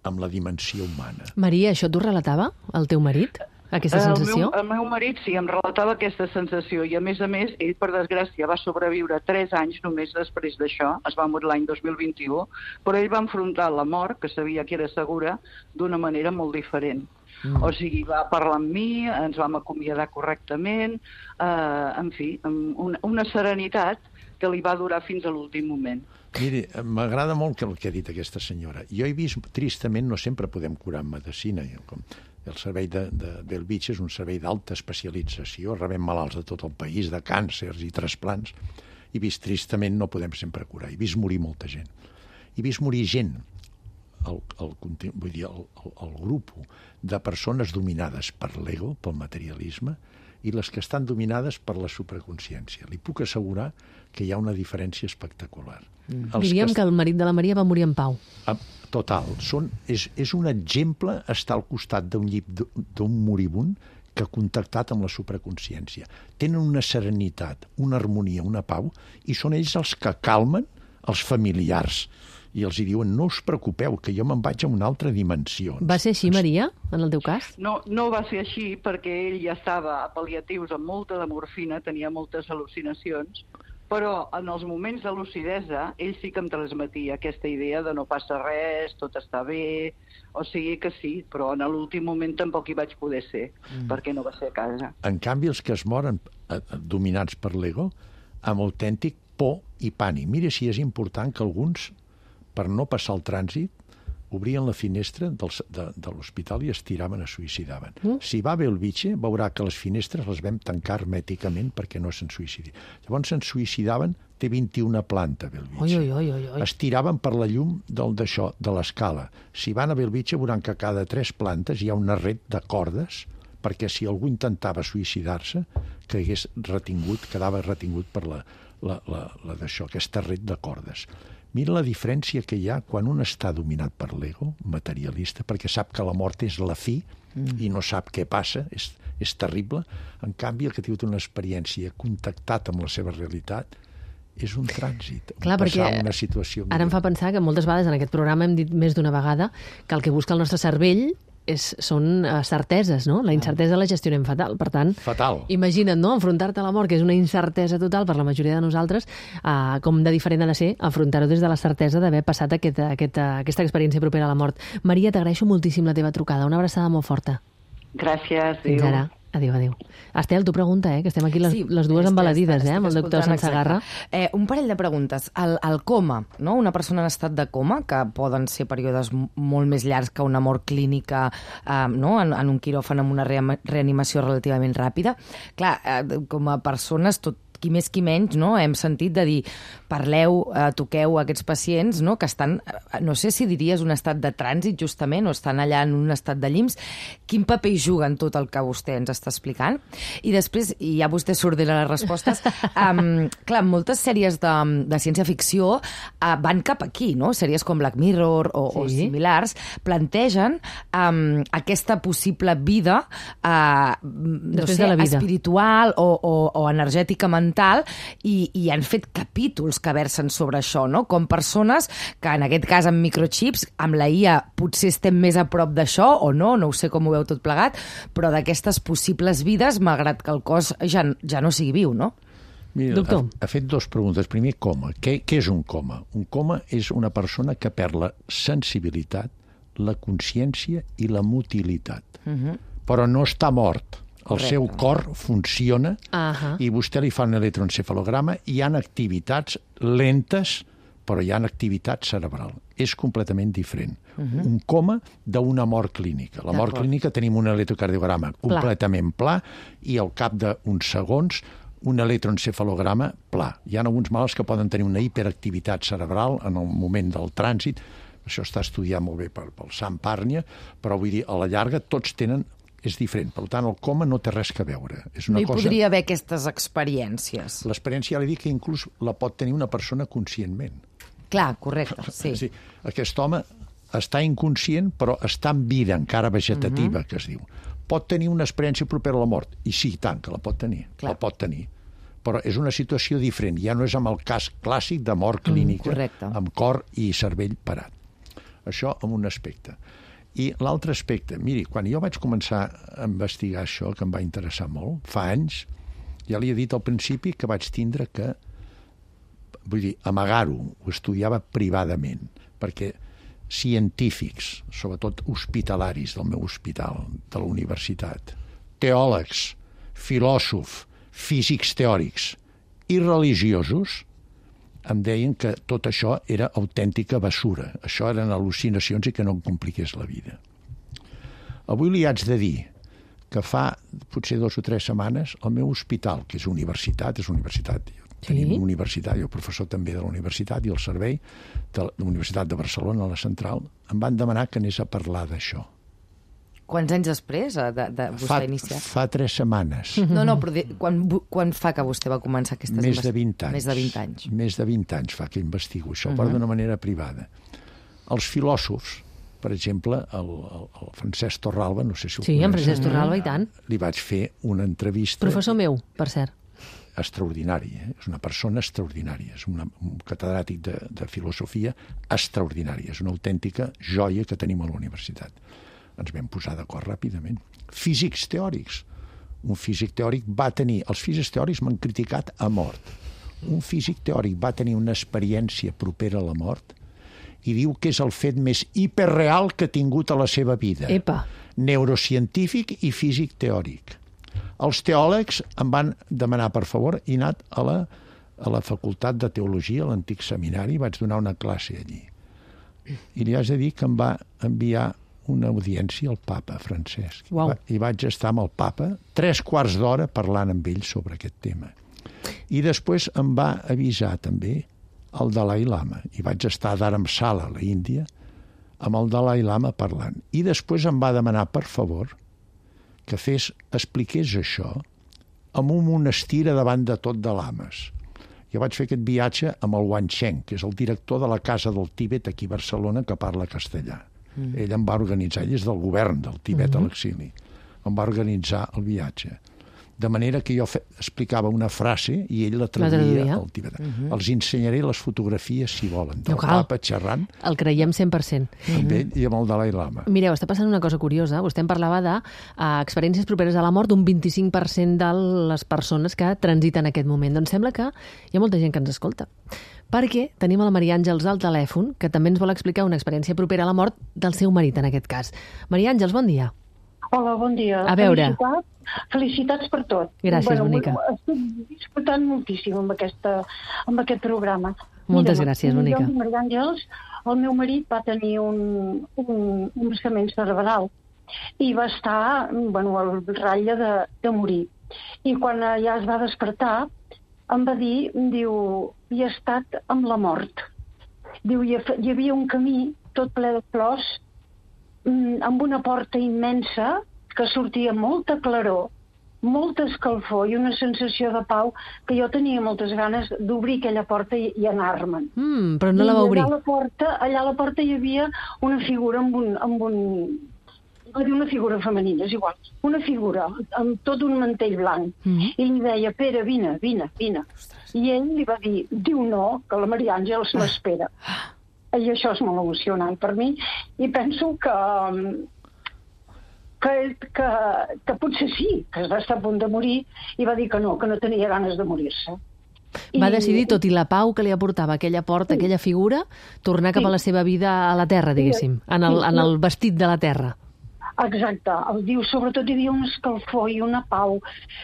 S5: amb la dimensió humana.
S1: Maria, això t'ho relatava el teu marit? Aquesta sensació?
S9: El meu, el meu marit sí, em relatava aquesta sensació i a més a més, ell per desgràcia va sobreviure tres anys només després d'això, es va morir l'any dos mil vint-i-u, però ell va enfrontar la mort, que sabia que era segura, d'una manera molt diferent. Mm. O sigui, va parlar amb mi, ens vam acomiadar correctament, eh, en fi, amb una, una serenitat que li va durar fins a l'últim moment.
S5: Miri, m'agrada molt el que ha dit aquesta senyora. Jo he vist, tristament, no sempre podem curar en medicina. Com el servei de, de Bellvitge és un servei d'alta especialització, rebem malalts de tot el país, de càncers i trasplants. He vist, tristament, no podem sempre curar. He vist morir molta gent. He vist morir gent, el, el, vull dir, el, el, el grup de persones dominades per l'ego, pel materialisme, i les que estan dominades per la supraconsciència. Li puc assegurar que hi ha una diferència espectacular.
S1: Mm. Diríem que... que el marit de la Maria va morir en pau.
S5: Total. Són, és, és un exemple estar al costat d'un llit d'un moribund que ha contactat amb la supraconsciència. Tenen una serenitat, una harmonia, una pau, i són ells els que calmen els familiars. I els diuen, no us preocupeu, que jo me'n vaig a una altra dimensió.
S1: Va ser així, Maria, en el teu cas?
S9: No, no va ser així, perquè ell ja estava a pal·liatius amb molta de morfina, tenia moltes al·lucinacions, però en els moments de lucidesa ell sí que em transmetia aquesta idea de no passa res, tot està bé, o sigui que sí, però en l'últim moment tampoc hi vaig poder ser, mm. perquè no va ser a casa.
S5: En canvi, els que es moren eh, dominats per l'ego, amb autèntic por i pànic. Mira si és important que alguns, per no passar el trànsit, obrien la finestra del, de, de l'hospital i es tiraven, es suïcidaven. Mm. Si va bé el Bellvitge, veurà que les finestres les vam tancar hermèticament perquè no se'n suïcidi. Llavors se'n suïcidaven, té vint-i-una planta, Bellvitge.
S1: Oi, oi, oi, oi.
S5: Es tiraven per la llum del d'això, de l'escala. Si van a Bellvitge, veuran que cada tres plantes hi ha una red de cordes perquè si algú intentava suïcidar-se, que hagués retingut, quedava retingut per la, la, la, la d'això, aquesta red de cordes. Mira la diferència que hi ha quan un està dominat per l'ego, materialista, perquè sap que la mort és la fi mm. i no sap què passa, és, és terrible. En canvi, el que ha tingut una experiència contactat amb la seva realitat és un trànsit.
S1: Clar, perquè
S5: una situació
S1: ara em fa pensar que moltes vegades en aquest programa hem dit més d'una vegada que el que busca el nostre cervell és, són uh, certeses, no? La incertesa la gestionem fatal. Per tant,
S5: fatal.
S1: Imagina't, no?, enfrontar-te a la mort, que és una incertesa total per la majoria de nosaltres, uh, com de diferent ha de ser afrontar-ho des de la certesa d'haver passat aquest, aquest, aquesta experiència propera a la mort. Maria, t'agraeixo moltíssim la teva trucada. Una abraçada molt forta.
S9: Gràcies.
S1: Fins
S9: adéu.
S1: ara. Adéu, adéu. Estel, tu pregunta, eh? Que estem aquí les,
S4: sí,
S1: les dues embaladides, eh? Amb el doctor Sansegarra.
S4: Eh, un parell de preguntes. El, el coma, no? Una persona en estat de coma, que poden ser períodes molt més llargs que una mort clínica, eh, no? en, en un quiròfan amb una reanimació relativament ràpida. Clar, eh, com a persones, tot qui més qui menys, no? Hem sentit de dir, parleu, eh, toqueu a aquests pacients, no? Que estan, no sé si diries un estat de trànsit justament, o estan allà en un estat de llims. Quin paper hi juguen tot el que vostè ens està explicant? I després, i ja vostè s'ordena les respostes, um, clar, moltes sèries de, de ciència-ficció uh, van cap aquí, no? Sèries com Black Mirror o, sí. o similars, plantegen um, aquesta possible vida, uh, no sé, de la vida. espiritual o, o, o energètica mental, i, i han fet capítols que versen sobre això, no? Com persones que, en aquest cas, amb microchips, amb la I A potser estem més a prop d'això, o no, no ho sé com ho veu tot plegat, però d'aquestes possibles vides, malgrat que el cos ja, ja no sigui viu, no?
S5: Mira, ha, ha fet dues preguntes. Primer, coma. Què, què és un coma? Un coma és una persona que perd la sensibilitat, la consciència i la motilitat. Uh-huh. Però no està mort. El Correcte. Seu cor funciona uh-huh. i vostè li fa un electroencefalograma i hi ha activitats lentes però hi ha activitat cerebral. És completament diferent. Uh-huh. Un coma d'una mort clínica. La mort clínica tenim un electrocardiograma completament pla i al cap d'uns segons un electroencefalograma pla. Hi ha alguns malalts que poden tenir una hiperactivitat cerebral en el moment del trànsit. Això està estudiat molt bé pel, pel Sam Parnia, però vull dir, a la llarga tots tenen... és diferent. Per tant, el coma no té res que veure. És una
S4: no hi
S5: cosa...
S4: podria haver aquestes experiències.
S5: L'experiència, ja li dic, que inclús la pot tenir una persona conscientment.
S4: Clar, correcte, sí.
S5: sí. Aquest home està inconscient, però està en vida encara vegetativa, uh-huh. que es diu. Pot tenir una experiència propera a la mort. I sí, tant, que la pot tenir. Clar. La pot tenir. Però és una situació diferent. Ja no és amb el cas clàssic de mort clínica, mm, amb cor i cervell parat. Això amb un aspecte. I l'altre aspecte, miri, quan jo vaig començar a investigar això, que em va interessar molt, fa anys, ja li he dit al principi que vaig tindre que, vull dir, amagar-ho, ho estudiava privadament, perquè científics, sobretot hospitalaris del meu hospital, de la universitat, teòlegs, filòsofs, físics teòrics i religiosos, em deien que tot això era autèntica basura. Això eren al·lucinacions i que no em compliqués la vida. Avui li haig de dir que fa potser dos o tres setmanes el meu hospital, que és universitat, és universitat, sí? Tenim una universitat, jo professor també de la universitat i el servei de la Universitat de Barcelona, a la central, em van demanar que anés a parlar d'això.
S4: Quants anys després de, de vostè
S5: fa,
S4: iniciar?
S5: Fa tres setmanes.
S4: No, no, però de, quan, quan fa que vostè va començar aquestes...
S5: Més de vint anys.
S4: Més de vint anys.
S5: Més de vint anys fa que investigo això, uh-huh. però d'una manera privada. Els filòsofs, per exemple, el, el, el Francesc Torralba, no sé si ho
S1: sí,
S5: coneix.
S1: Sí, en Francesc Torralba, i tant.
S5: Li vaig fer una entrevista...
S1: Professor meu, per cert.
S5: Extraordinari, eh? És una persona extraordinària, és una, un catedràtic de, de filosofia extraordinària, és una autèntica joia que tenim a la universitat. Ens vam posar d'acord ràpidament. Físics teòrics. Un físic teòric va tenir... Els físics teòrics m'han criticat a mort. Un físic teòric va tenir una experiència propera a la mort i diu que és el fet més hiperreal que ha tingut a la seva vida.
S1: Epa.
S5: Neurocientífic i físic teòric. Els teòlegs em van demanar, per favor, i anat a la, a la Facultat de Teologia, a l'antic seminari, vaig donar una classe allí. I li haig de dir que em va enviar una audiència al papa Francesc.
S1: Wow.
S5: I vaig estar amb el papa tres quarts d'hora parlant amb ell sobre aquest tema. I després em va avisar també el Dalai Lama. I vaig estar a Dharamsala, a la Índia, amb el Dalai Lama parlant. I després em va demanar, per favor, que fes, expliqués això en un monestir davant de tot de lames. Jo vaig fer aquest viatge amb el Wan Cheng, que és el director de la Casa del Tíbet aquí a Barcelona, que parla castellà. Mm. Ell em va organitzar, ell és del govern del Tibet mm-hmm. a l'exili, em va organitzar el viatge. De manera que jo fe, explicava una frase i ell la traduïa al tibetà. Mm-hmm. Els ensenyaré les fotografies, si volen, del no papa xerrant.
S1: El creiem cent per cent.
S5: Amb ell i amb el Dalai Lama.
S1: Mireu, està passant una cosa curiosa. Vostè em parlava de uh, experiències properes a la mort, un vint-i-cinc per cent de les persones que transiten en aquest moment. Doncs sembla que hi ha molta gent que ens escolta. Perquè tenim a la Maria Àngels al telèfon, que també ens vol explicar una experiència propera a la mort del seu marit, en aquest cas. Maria Àngels, bon dia.
S10: Hola, bon dia.
S1: A veure.
S10: Felicitats, felicitats per tot.
S1: Gràcies,
S10: bueno,
S1: bonica.
S10: Estic disfrutant moltíssim amb, aquesta, amb aquest programa.
S1: Moltes
S10: Mira,
S1: gràcies, bonica.
S10: Jo, Maria Àngels, el meu marit va tenir un, un, un embassament cerebral i va estar bueno, al ratlla de, de morir. I quan ja es va despertar, em va dir, diu, hi he estat amb la mort. Diu, hi havia un camí tot ple de flors, amb una porta immensa que sortia molta claror, molta escalfor i una sensació de pau que jo tenia moltes ganes d'obrir aquella porta i, i anar-me'n.
S1: Mm, però no la va obrir.
S10: Allà a la porta, allà a la porta hi havia una figura amb un... Amb un va dir una figura femenina, és igual. Una figura amb tot un mantell blanc. Mm-hmm. I li deia, Pere, vine, vine, vine. Ostres. I ell li va dir, diu no, que la Maria Àngels l'espera. I això és molt emocionant per mi. I penso que, que, que, que potser sí, que va estar a punt de morir, i va dir que no, que no tenia ganes de morir-se.
S1: Va decidir, tot i la pau que li aportava aquella porta, sí. aquella figura, tornar cap sí. a la seva vida a la terra, diguéssim, en el, en el vestit de la terra.
S10: Exacte. El diu, sobretot hi havia un escalfor i una pau.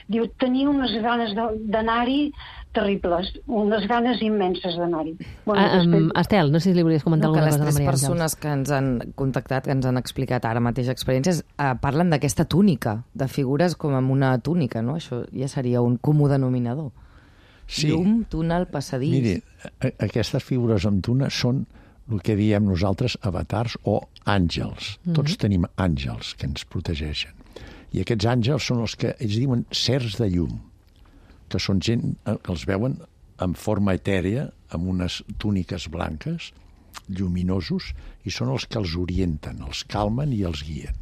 S10: Diu, tenia unes ganes d'anar-hi terribles, unes ganes immenses d'anar-hi. Bueno,
S1: Ah, um,
S10: després...
S1: Estel, no sé si li volies comentar
S4: No, que
S1: alguna
S4: les
S1: cosa a la
S4: tres
S1: Maria Àngels.
S4: persones que ens han contactat, que ens han explicat ara mateix experiències, eh, parlen d'aquesta túnica, de figures com amb una túnica, no? Això ja seria un comú denominador.
S5: Sí.
S4: Llum, túnel, passadís...
S5: Miri, a- aquestes figures amb tuna són el que diem nosaltres avatars o àngels. Mm-hmm. Tots tenim àngels que ens protegeixen. I aquests àngels són els que ells diuen sers de llum, que són gent que els veuen en forma etèria, amb unes túniques blanques, lluminosos, i són els que els orienten, els calmen i els guien.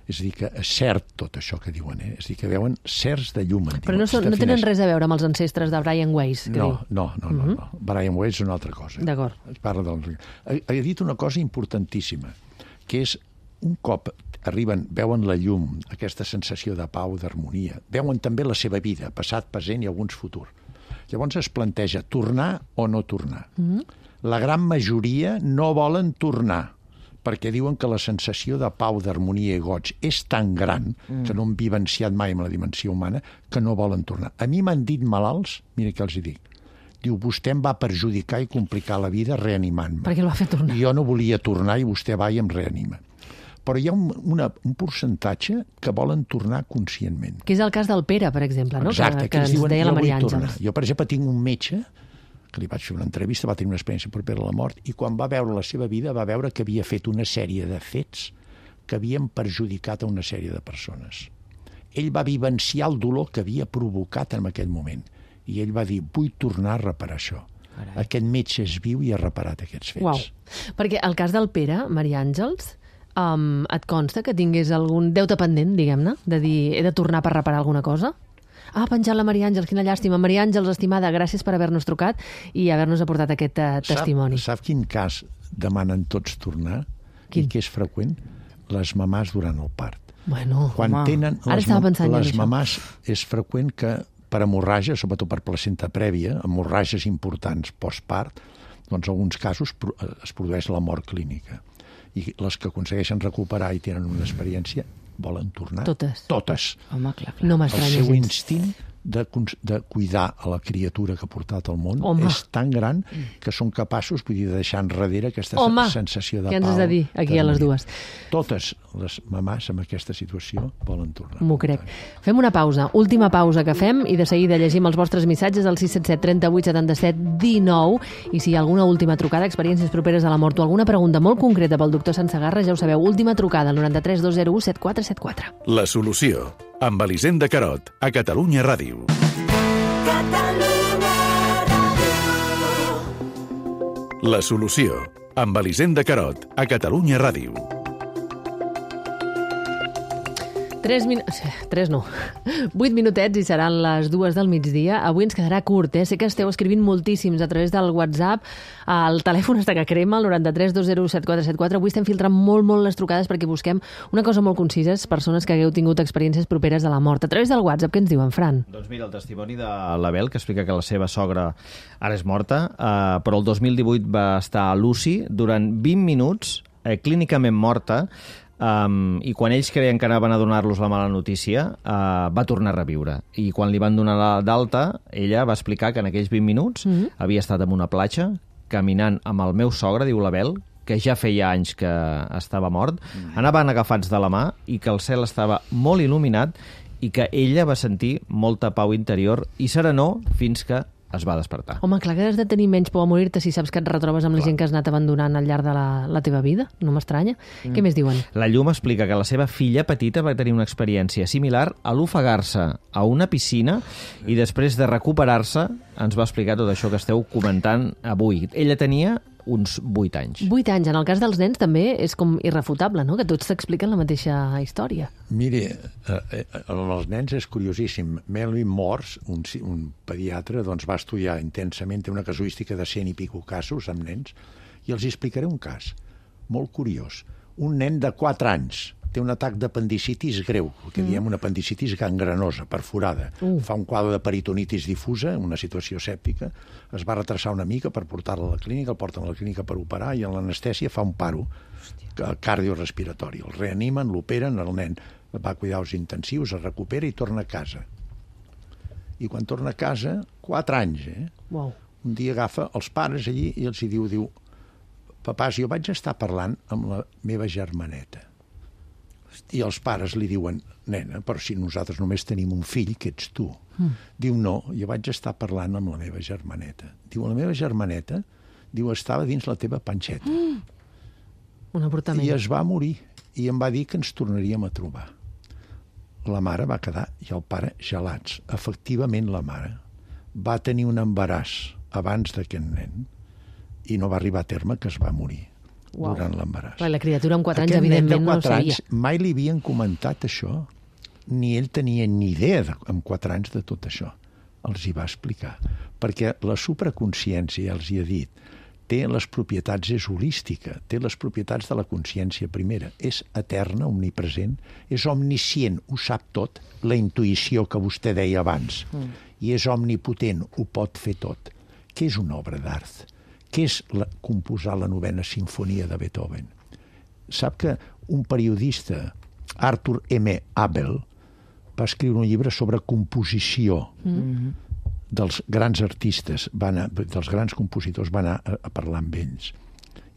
S5: És a dir, que és cert tot això que diuen, eh? És a dir, que veuen certs de llum.
S1: Però no, són, no tenen res a veure amb els ancestres de Brian Weiss, que
S5: no,
S1: diu.
S5: no, no, no, no. Brian Weiss és una altra cosa.
S1: D'acord.
S5: Es parla del... Ha, ha dit una cosa importantíssima, que és un cop arriben, veuen la llum, aquesta sensació de pau, d'harmonia, veuen també la seva vida, passat, present i alguns futur. Llavors es planteja tornar o no tornar. Mm-hmm. La gran majoria no volen tornar, perquè diuen que la sensació de pau, d'harmonia i goig és tan gran, mm. que no han vivenciat mai amb la dimensió humana, que no volen tornar. A mi m'han dit malalts, mira què els hi dic, diu, vostè em va perjudicar i complicar la vida reanimant-me.
S1: Perquè el va fer tornar.
S5: Jo no volia tornar i vostè va i em reanima. Però hi ha un, una, un percentatge que volen tornar conscientment.
S1: Que és el cas del Pere, per exemple, no?
S5: Exacte,
S1: que,
S5: que,
S1: que
S5: ens
S1: ens
S5: diuen,
S1: deia la
S5: jo vull
S1: Maria
S5: tornar.
S1: Àngels.
S5: Jo, per exemple, tinc un metge que li vaig fer una entrevista, va tenir una experiència propera a la mort, i quan va veure la seva vida va veure que havia fet una sèrie de fets que havien perjudicat a una sèrie de persones. Ell va vivenciar el dolor que havia provocat en aquell moment, i ell va dir, vull tornar a reparar això. Carai. Aquest metge és viu i ha reparat aquests fets.
S1: Uau. Perquè el cas del Pere, Maria Àngels, um, et consta que tingués algun deute pendent, diguem-ne, de dir, he de tornar per reparar alguna cosa? Ah, penjat la Maria Àngels, quina llàstima. Maria Àngels, estimada, gràcies per haver-nos trucat i haver-nos aportat aquest uh, testimoni.
S5: Sap, sap quin cas demanen tots tornar?
S1: Quin?
S5: I que és freqüent? Les mamàs durant el part.
S1: Bueno,
S5: Quan
S1: home.
S5: tenen
S1: Ara
S5: les,
S1: estava pensant
S5: les
S1: en això.
S5: mamàs és freqüent que per hemorràgia, sobretot per placenta prèvia, hemorràgies importants postpart, doncs en alguns casos es produeix la mort clínica. I les que aconsegueixen recuperar i tenen una experiència volen tornar.
S1: Totes.
S5: Totes.
S4: Home, clar, clar.
S1: No
S5: El
S1: m'estranya
S5: seu
S1: gens.
S5: instint de, de cuidar a la criatura que ha portat al món
S1: Home.
S5: és tan gran que són capaços, vull dir, de deixar enrere aquesta
S1: Home,
S5: sensació de pau.
S1: què ens has de dir aquí a les dues?
S5: Totes les mamàs en aquesta situació volen tornar.
S1: M'ho crec. Fem una pausa, última pausa que fem, i de seguida llegim els vostres missatges al sis set set, trenta-vuit, setanta-set, dinou, i si hi ha alguna última trucada, experiències properes a la mort o alguna pregunta molt concreta pel doctor Sansegarra, ja ho sabeu, última trucada al noranta-tres dos zero u set quatre set quatre.
S6: La solució, amb Elisenda Carot, a Catalunya Ràdio. La solució, amb Elisenda Carot, a Catalunya Ràdio.
S1: Tres minuts... Tres no. Vuit minutets i seran les dues del migdia. Avui ens quedarà curt, eh? Sé que esteu escrivint moltíssims a través del WhatsApp. El telèfon està que crema, el noranta-tres dos zero u set quatre set quatre. Avui estem filtrant molt, molt les trucades perquè busquem una cosa molt concisa, persones que hagueu tingut experiències properes a la mort. A través del WhatsApp, què ens diuen, Fran?
S3: Doncs mira, el testimoni de l'Abel, que explica que la seva sogra ara és morta, eh, però el dos mil divuit va estar a l'U C I durant vint minuts, eh, clínicament morta, Um, i quan ells creien que anaven a donar-los la mala notícia, uh, va tornar a reviure. I quan li van donar d'alta, ella va explicar que en aquells vint minuts mm-hmm. havia estat en una platja, caminant amb el meu sogre, diu l'Abel, que ja feia anys que estava mort, mm-hmm. anaven agafats de la mà i que el cel estava molt il·luminat i que ella va sentir molta pau interior i serenor fins que es va despertar.
S1: Home, clar que has de tenir menys por a morir-te si saps que et retrobes amb clar. La gent que has anat abandonant al llarg de la, la teva vida. No m'estranya. Mm. Què més diuen?
S3: La Llum explica que la seva filla petita va tenir una experiència similar a l'ofegar-se a una piscina i després de recuperar-se ens va explicar tot això que esteu comentant avui. Ella tenia uns vuit anys.
S1: Vuit anys. En el cas dels nens també és com irrefutable, no? Que tots t'expliquen la mateixa història.
S5: Miri, eh, eh, els nens és curiosíssim. Melvin Morse, un, un pediatre, doncs va estudiar intensament, té una casuística de cent i pico casos amb nens, i els explicaré un cas molt curiós. Un nen de quatre anys té un atac d'apendicitis greu, el que mm. diem una apendicitis gangrenosa, perforada. Mm. Fa un quadre de peritonitis difusa, una situació sèptica, es va retrasar una mica per portar-la a la clínica, el porten a la clínica per operar i en l'anestèsia fa un paro cardiorespiratori. El reanimen, l'operen, el nen va a cuidados intensius, es recupera i torna a casa. I quan torna a casa, quatre anys, eh?
S1: Wow.
S5: Un dia agafa els pares allí i els hi diu, diu, papàs, jo vaig estar parlant amb la meva germaneta. I els pares li diuen, nena, però si nosaltres només tenim un fill, que ets tu. Mm. Diu, no, jo vaig estar parlant amb la meva germaneta. Diu, la meva germaneta, diu, estava dins la teva panxeta.
S1: Mm. Un avortament.
S5: I es va morir. I em va dir que ens tornaríem a trobar. La mare va quedar i el pare gelats. Efectivament, la mare va tenir un embaràs abans d'aquest nen i no va arribar a terme, que es va morir. Wow. Durant l'embaràs.
S1: La criatura amb quatre anys, evidentment, no ho sabia.
S5: Anys, mai li havien comentat això, ni ell tenia ni idea de, amb quatre anys de tot això. Els hi va explicar. Perquè la supraconsciència, ja els hi he dit, té les propietats, és holística, té les propietats de la consciència primera. És eterna, omnipresent, és omniscient, ho sap tot, la intuïció que vostè deia abans. Mm. I és omnipotent, ho pot fer tot. Què és una obra d'art? Què és la, composar la novena sinfonia de Beethoven? Sap que un periodista, Arthur M. Abel, va escriure un llibre sobre composició mm-hmm. dels grans artistes, va anar, dels grans compositors, va anar a, a parlar amb ells.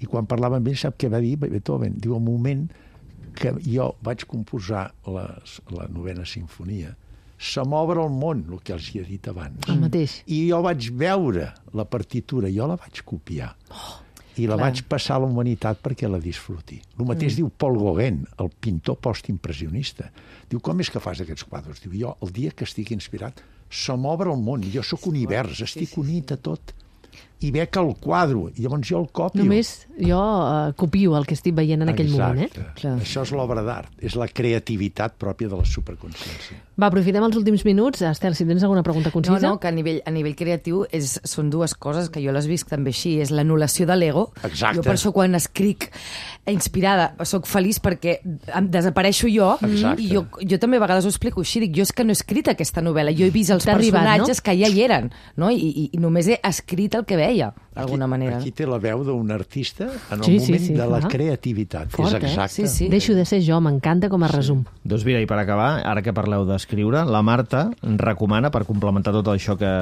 S5: I quan parlava amb ells, sap què va dir Beethoven? Diu, al moment que jo vaig composar les, la novena sinfonia, se m'obre el món, el que els hi he dit abans.
S1: El mateix.
S5: I jo vaig veure la partitura, jo la vaig copiar. Oh, I la clar. vaig passar a la humanitat perquè la disfruti. El mateix mm. diu Paul Gauguin, el pintor postimpressionista. Diu, com és que fas aquests quadres? Diu, jo, el dia que estic inspirat, se m'obre el món, jo sóc univers, estic unit a tot. I veig el quadre, i llavors jo el copio.
S1: Només jo uh, copio el que estic veient en aquell
S5: Exacte.
S1: moment. Eh?
S5: Clar. Això és l'obra d'art, és la creativitat pròpia de la superconsciència.
S1: Va, aprofitem els últims minuts. Estel, si tens alguna pregunta concisa.
S4: No, no, que a nivell, a nivell creatiu és, són dues coses que jo les visc també així. És l'anul·lació de l'ego.
S5: Exacte.
S4: Jo per això quan escric inspirada soc feliç perquè em desapareixo jo.
S5: Exacte.
S4: I jo, jo també a vegades ho explico així. Dic, jo és que no he escrit aquesta novel·la. Jo he vist els personatges arribat, no? que ja hi eren. No? I, i, I només he escrit el que veia, d'alguna manera.
S5: Aquí té la veu d'un artista en el
S1: sí,
S5: moment
S1: sí, sí,
S5: de la
S1: clar.
S5: creativitat.
S1: Fort,
S5: és exacte.
S1: Eh? Sí, sí. Deixo de ser jo, m'encanta com a resum.
S3: Sí. Doncs mira, i per acabar, ara que parleu d'escriure, la Marta recomana, per complementar tot això que,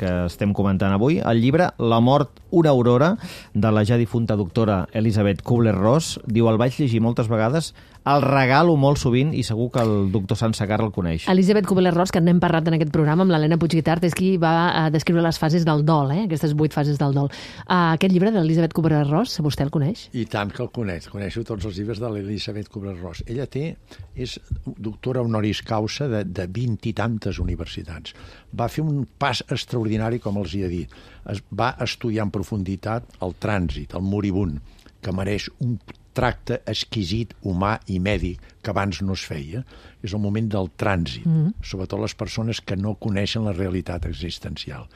S3: que estem comentant avui, el llibre La mort, una aurora, de la ja difunta doctora Elisabeth Kubler-Ross. Diu, el vaig llegir moltes vegades, el regalo molt sovint i segur que el doctor Sansegarra el coneix.
S1: Elisabeth Kubler-Ross, que n'hem parlat en aquest programa amb l'Helena Puigguitart, és qui va descriure les fases del dol, eh? aquestes vuit fases del dol. Uh, aquest llibre de l'Elisabeth Kubler-Ross, vostè el coneix?
S5: I tant que el coneix. Coneixo tots els llibres de l'Elisabeth Kubler-Ross. Ella té, és doctora honoris causa de, de vint i tantes universitats. Va fer un pas extraordinari, com els hi he dit. Es, va estudiar en profunditat el trànsit, el moribund, que mereix un tracte exquisit, humà i mèdic que abans no es feia. És el moment del trànsit, mm-hmm. sobretot les persones que no coneixen la realitat existencial.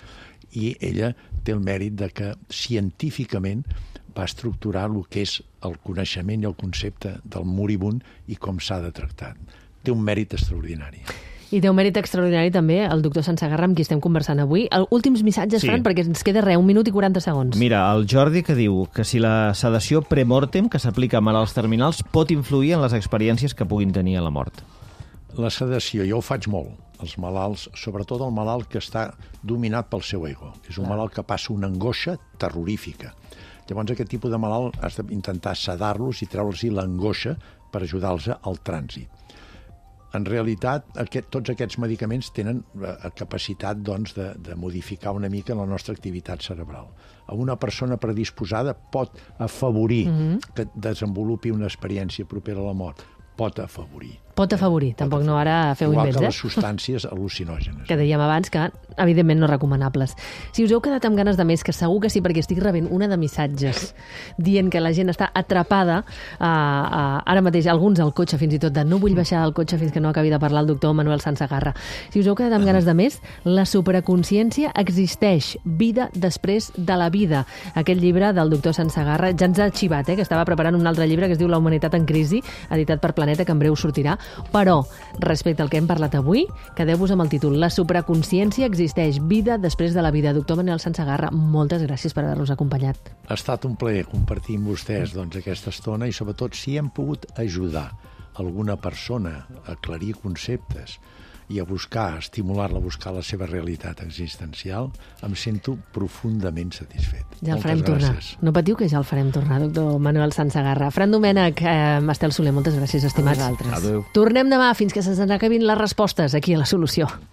S5: I ella té el mèrit de que científicament va estructurar el que és el coneixement i el concepte del moribund i com s'ha de tractar. Té un mèrit extraordinari.
S1: I té un mèrit extraordinari també el doctor Sansegarra, amb qui estem conversant avui. El, últims missatges, sí. Fran, perquè ens queda res, un minut i quaranta segons.
S3: Mira, el Jordi que diu que si la sedació premortem que s'aplica a malalts terminals pot influir en les experiències que puguin tenir a la mort.
S5: La sedació, jo ho faig molt. Els malalts, sobretot el malalt que està dominat pel seu ego. És un malalt que passa una angoixa terrorífica. Llavors aquest tipus de malalt has d'intentar sedar-los i treure'ls l'angoixa per ajudar-los al trànsit. En realitat, aquest, tots aquests medicaments tenen la capacitat doncs, de, de modificar una mica la nostra activitat cerebral. A una persona predisposada pot afavorir mm-hmm. que desenvolupi una experiència propera a la mort. Pot afavorir.
S1: Pot afavorir, pot tampoc afavorir. No ara feu
S5: Igual
S1: invents,
S5: que
S1: eh?
S5: les substàncies al·lucinògenes.
S1: Que dèiem abans que, evidentment, no recomanables. Si us heu quedat amb ganes de més, que segur que sí, perquè estic rebent una de missatges dient que la gent està atrapada, uh, uh, ara mateix, alguns al cotxe, fins i tot, de no vull baixar del cotxe fins que no acabi de parlar el doctor Manuel Sansegarra. Si us heu quedat amb ganes de més, la supraconsciència existeix, vida després de la vida. Aquest llibre del doctor Sansegarra ja ens ha xivat, eh, que estava preparant un altre llibre que es diu La humanitat en crisi, editat per Planeta, que en breu sortirà. Però, respecte al que hem parlat avui, quedeu-vos amb el títol La supraconsciència existeix, vida després de la vida. Doctor Manuel Sansegarra, moltes gràcies per haver-nos acompanyat.
S5: Ha estat un plaer compartir amb vostès doncs, aquesta estona i sobretot si hem pogut ajudar alguna persona a aclarir conceptes i a buscar, a estimular-la a buscar la seva realitat existencial, em sento profundament satisfet.
S1: Ja el
S5: Moltes
S1: farem tornar.
S5: gràcies.
S1: No patiu que ja el farem tornar, doctor Manuel Sansegarra. Fran Domènech, eh, Estel Soler, moltes gràcies, estimats.
S4: A vosaltres.
S3: Adéu.
S1: Tornem demà fins que se'ns acabin les respostes aquí a La Solució.